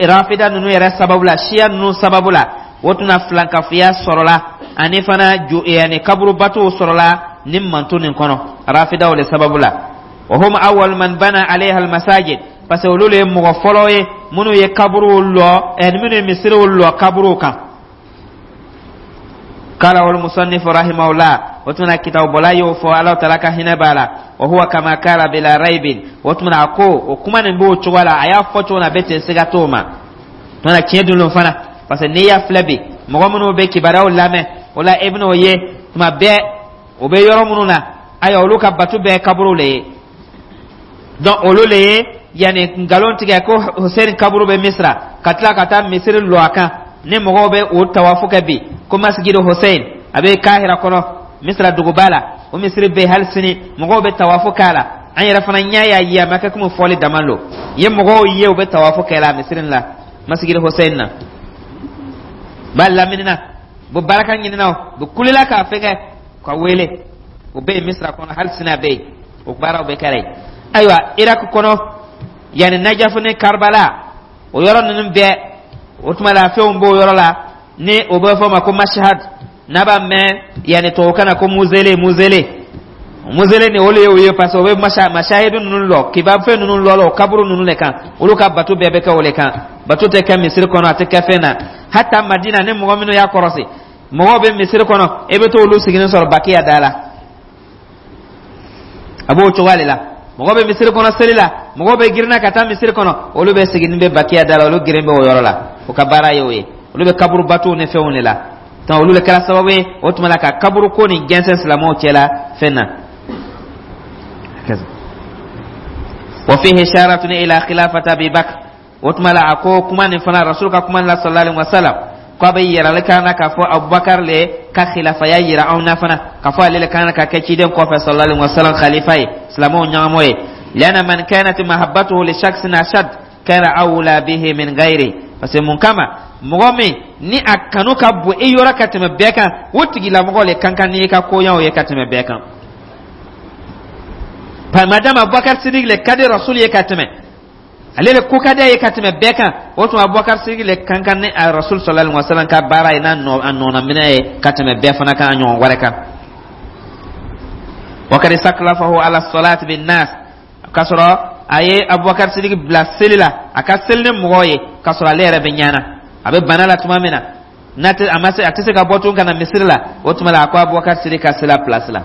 Speaker 1: rafida ninnu yɛrɛ sababu la, siya ninnu sababu la, o tɛna filankafoya sɔrɔla, ani fana ju yani kaburubatow sɔrɔla ni manto nin kɔnɔ, rafidaw le sababu la. Wa hum awwal man bana alayha almasajid, parce que olu le ye mɔgɔ fɔlɔ ye minnu ye kaburuw lɔ, minnu ye misiriw lɔ kaburuw kan. Kala wal musannif rahimahullah, o tuma kitabu bɔla y'o fɔ, Ala taala ka hinɛ b'a la. Wa huwa kama kala bila raibin. O tuma, a ko o kuma nin b'o cogo la, a y'a fɔ cogo min na, a bɛ ten, siga t'o ma. Tuma tiɲɛ dun don fana, parce que n'i y'a filɛ bi, mɔgɔ minnu bɛ kibaruyaw lamɛn o la, e bɛn'o ye tuma bɛɛ, o bɛ yɔrɔ minnu na, ayiwa, olu ka batu bɛɛ kaburu le ye. Donc olu le ye yanni nkalon tigɛ ko Hussein kaburu bɛ Misira, ka tila ka taa misiri lɔ a kan ni mɔgɔw bɛ o tawafu kɛ bi, ko masjidu Hussein a bɛ Kahira kɔnɔ, Misira duguba la. O misiri bɛ yen hali sini, mɔgɔw bɛ tawafu k'a la. An yɛrɛ fana ɲɛ y'a ye, a ma kɛ komi fɔli dama lo ye, mɔgɔw ye u bɛ tawafu kɛ la misiri la, masjidu Hussein na b'a lamini na, bɛ baraka ɲinina, o bɛ kulela k'a fɛngɛ ka wele. O bɛ yen Misira kɔnɔ hali sini, a bɛ yen, o baaraw bɛ kɛra yen. Ayiwa, Irak kɔnɔ yanni Najafu ni Karbala, o yɔrɔ ninnu bɛɛ, o tuma la fɛnw b'o yɔrɔ la ni o bɛ fɔ o ma ko Mashhad, n'a b'a mɛn yanni tubabukan na ko mausolée. Mausolée, Mausolée ni, olu ye o ye, parce que o bɛ mashahidu ninnu lɔ, kiba fɛn ninnu lɔ la, o kaburu ninnu le kan. Olu ka bato bɛɛ bɛ kɛ o le kan. Bato tɛ kɛ misiri kɔnɔ, a tɛ kɛ fɛn na. Hata Madina ni mɔgɔ minnu y'a kɔrɔsi, mɔgɔw bɛ misiri kɔnɔ, e bɛ t'olu sigilen sɔrɔ Bakiya da la. A b'o cogoya de la. Mɔgɔ bɛ misiri kɔnɔ seli la, mɔgɔw bɛ girinna ka taa misiri kɔnɔ, olu bɛ siginin bɛ Bakiya da la. Olu girin bɛ o yɔrɔ la, o ka baara ye o ye. Olu bɛ kaburu batow ni fɛnw de la. Donc olu de kɛra sababu ye o tuma la ka kaburu ko nin jɛnsɛn silamɛw cɛ la fɛn na. Wa fihi isharatun ila khilafati Abi Bakr. O tuma la, a ko kuma nin fana, Rasul ka kuma la, sallallahu alaihi wasallam, ko a bɛ yirali kan na k'a fɔ Abubakar le ka khilafaya yira anw na fana, k'a fɔ ale le kan ka kɛ ciden kɔfɛ, sallallahu alaihi wasallam, khalifa ye, silamɛw ɲɛmɔgɔ ye. Lianna man kanat mahabbatuhu li shakhsin ashad kana awla bihi min ghairi. Parce que mun kama, mɔgɔ min ni a kanu ka bon i yɔrɔ ka tɛmɛ bɛɛ kan, o tigilamɔgɔ le kan kan n'i ka koɲaw ye ka tɛmɛ bɛɛ kan. Madama Abubakar Sidik le ka di Rasul ye ka tɛmɛ, ale le ko ka di a ye ka tɛmɛ bɛɛ kan, o tuma Abubakar Sidik le kan kan ni a Rasul sallallahu alaihi wasallam ka baara ye, n'a nɔ a nɔnaminɛ ye ka tɛmɛ bɛɛ fana kan, a ɲɔgɔn wɛrɛ kan. Wa kad istaklafahu ala salati bin nas, k'a sɔrɔ a ye Abubakar Sidik bila seli la, a ka seli ni mɔgɔw ye, k'a sɔrɔ ale yɛrɛ bɛ ɲana, a bɛ bana la tuma min na, n'a tɛ a ma se, a tɛ se ka bɔ tun ka na misiri la, o tuma la a ko Abubakar Sidik ka seli a place la.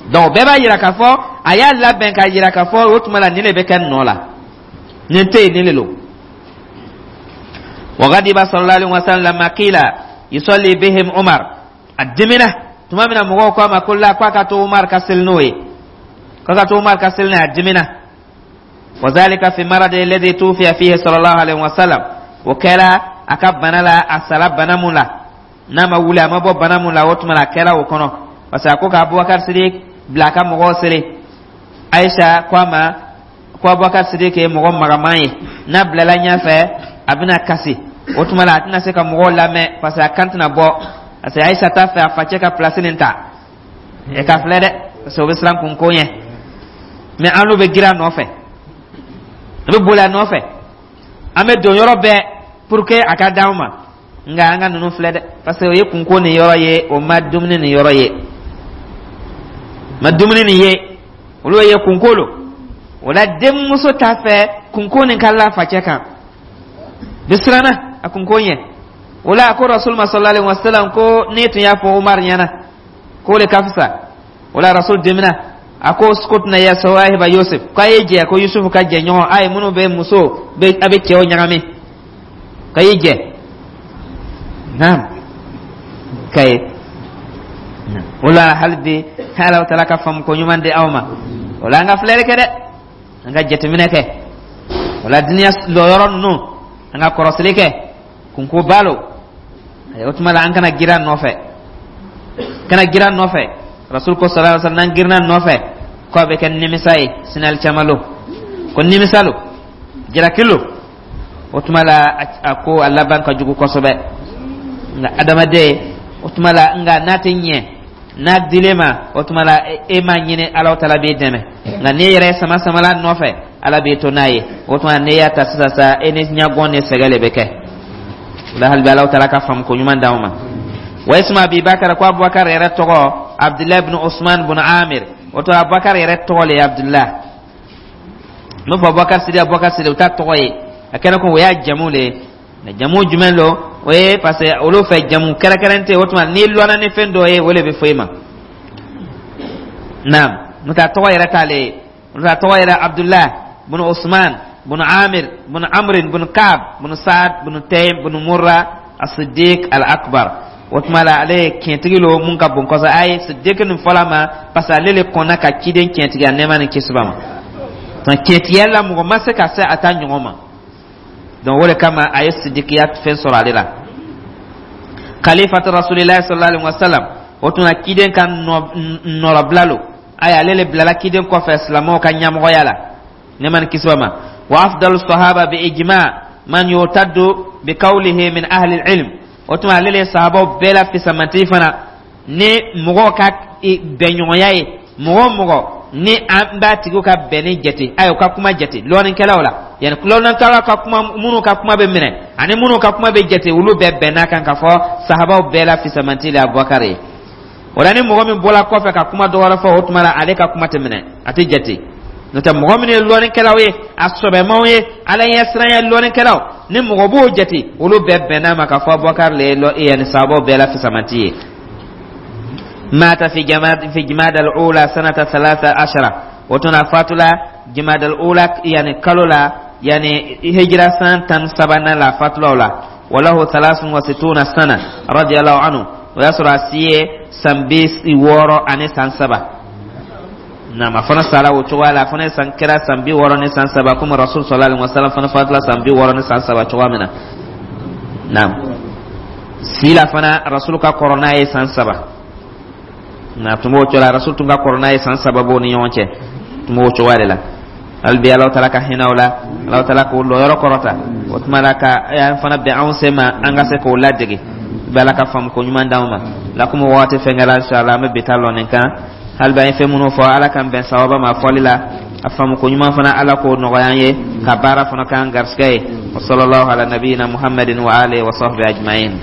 Speaker 1: Donc bɛɛ b'a yira k'a fɔ a y'a labɛn k'a yira k'a fɔ o tuma la nin de bɛ kɛ nɔ la, nin tɛ yen, nin de lo. Wa ghadiba sallallahu alaihi wasallam lamma qila yusalli bihim Umar. A dimina tuma min na mɔgɔw ko a ma ko la, k'a ka to Umar ka seli n'o ye, k'a ka to Umar ka seli n'a ye, a dimina. Wa zalika fi maradi alladhi tufiya fihi sallallahu alaihi wasallam. O kɛra a ka bana la, a sara bana mun la, n'a ma wuli, a ma bɔ bana mun la, o tuma la a kɛra o kɔnɔ, parce que a ko ka Abubakar Sidik bila a ka mɔgɔw seli. Aisha ko a ma ko Abubakar Sidik ye mɔgɔ magaman ye, n'a bilala ɲɛfɛ a bɛna kasi, o tuma la a tɛna se ka mɔgɔw lamɛn, parce que a kan tɛna bɔ, parce que Aisha t'a fɛ a facɛ ka place nin ta. E ka filɛ dɛ, parce que o bɛ siran kunko ɲɛ. Mais an n'u bɛ girin a nɔfɛ, an bɛ boli a nɔfɛ, an bɛ don yɔrɔ bɛɛ pour que a ka d'anw ma. Nka an ka ninnu filɛ dɛ, parce que o ye kunko nin yɔrɔ ye, o ma dumuni nin yɔrɔ ye, ma dumuni nin ye, olu ye kunko lo. O la denmuso t'a fɛ kunko nin ka la facɛ kan, bi siranna a kunko ɲɛ. O la a ko Rasul ma sallallahu alaihi wasallam ko n'i tun y'a fɔ Umar ɲɛna k'o de ka fisa. O la Rasul dimina, a ko uskutna ya sawahiba Yusuf, k'a ye jɛ, ko Yusuf ka jɛ ɲɔgɔn a ye, minnu bɛ muso bɛ a bɛ cɛw ɲagami, k'a ye jɛ naam ka ye. O la hali bi, Ala taala ka faamu ko ɲuman di aw ma. O la an ka filɛli kɛ dɛ, an ka jateminɛ kɛ. O la duniya lɔyɔrɔ ninnu, an ka kɔrɔsili kɛ, kunko balo o tuma la an kana girin a nɔfɛ, kana girin a nɔfɛ. Rasul ko sallallahu alaihi wasallam, n'an girinna nɔfɛ, ko a bɛ kɛ nimisa ye sini alikiyama lo, ko nimisa lo, jalaki lo. O tuma la a ko a laban ka jugu kosɛbɛ. Nka adamaden, o tuma la, nka n'a tɛ ɲɛ n'a dilen ma, o tuma la e m'a ɲini, Ala taala b'e dɛmɛ. Nka n'e yɛrɛ ye sama samala nɔfɛ, Ala b'e to n'a ye. O tuma n'e y'a ta sisan sa, e ni ɲagɔn ni sɛgɛ de bɛ kɛ. O la hali bi, Ala taala ka faamu ko ɲuman d'anw ma. Wa ismu Abibakar, ko Abubakar yɛrɛ tɔgɔ Abdulayi bin Usman bin Amir. O to Abubakar yɛrɛ tɔgɔ le ye Abdulayi. N b'a fɔ Abubakar Sidi, Abubakar Sidi, o t'a tɔgɔ ye, a kɛra ko o y'a jamu le ye. Mɛ jamu jumɛn lo o ye? Parce que olu fɛ jamu kɛrɛnkɛrɛn tɛ. O tuma n'i lɔnna ni fɛn dɔ ye, o de bɛ fɔ i ma naam. N'o tɛ a tɔgɔ yɛrɛ t'ale ye. N'o tɛ a tɔgɔ yɛrɛ Abdulayi bin Usman bin Amir bin Amrin bin Kaab bin Saad bin Taym bin Murra as-Siddiq al-Akbar. O tuma la ale ye tiɲɛtigi lo mun ka bon kosɛbɛ. A ye Siddiq nin fɔla ma parce que ale le kɔnna ka ciden tiɲɛtigiya, nɛɛma ni kisi b'a ma. Donc tiɲɛtigiya la, mɔgɔ ma se ka se a ta ɲɔgɔn ma. Donc o de kama a ye sidikiya fɛn sɔrɔ ale la. Khalifatu Rasulillahi sallallahu alaihi wasallam, o tuma ciden ka nɔrɔbila lo, ayi, ale le bilala ciden kɔfɛ silamɛw ka ɲɛmɔgɔya la, nɛɛma ni kisi b'a ma. Wa afdalu sahaba bi ijma man yutaddu bi qawlihi min ahli ilm. O tuma ale le ye sahabaw bɛɛ la fisamanti fana ni mɔgɔw ka bɛnɲɔgɔnya ye. Mɔgɔ o mɔgɔ ni an b'a tigiw ka bɛnni jate, ayi, u ka kuma jate lɔnnikɛlaw la, yani lɔnnikɛlaw ka kuma, minnu ka kuma bɛ minɛ ani minnu ka kuma bɛ jate, olu bɛɛ bɛnna kan k'a fɔ sahabaw bɛɛ la fisamanti le Abubakar ye. O la, ni mɔgɔ min bɔra kɔfɛ ka kuma dɔ wɛrɛ fɔ, o tuma la ale ka kuma tɛ minɛ, a tɛ jate. N'o tɛ, mɔgɔ minnu ye lɔnnikɛlaw ye, a sɔbɛmanw ye, Ala ɲɛsiranya lɔnnikɛlaw, ni mɔgɔ b'o jate, olu bɛɛ bɛnna ma k'a fɔ Abubakar le ye lɔ yanni sababu bɛɛ la fisamanti ye. مات في جماد الأولى سنة 13. O tun na fatula جماد الأولى, yani kalo la, yani hijira san 13nan la fatula o la. وله 63 سنة رضي الله عنه. O y'a sɔrɔ a si ye san 63. Naam, a fana sara o cogoya la. A fana ye san kɛra san 63, komi Rasul صلى الله عليه وسلم fana fatula san 63 cogoya min na. Naam, si la fana, Rasul ka kɔrɔ n'a ye san 3. Na tun b'o cogo la, Rasul tun ka kɔrɔ n'a ye san 3 b'o ni ɲɔgɔn cɛ, tun b'o cogoya de la. Hali bi, Alahu Taala ka hinɛ o la, Alahu Taala k'o lɔyɔrɔ kɔrɔta. O tuma la, ka an fana bɛn anw sen ma, an ka se k'o ladege bɛ. Ala ka faamu ko ɲuman d'anw ma la. Komi waati fɛn kɛra, inshallah an bɛ bi ta lɔ nin kan. Hali bi, an ye fɛn minnu fɔ, Ala k'an bɛn sawaba ma fɔli la. A faamu ko ɲuman fana, Ala k'o nɔgɔya an ye, ka baara fana k'an garisɛgɛ ye. وصلى الله على نبينا محمد وآله وصحبه أجمعين.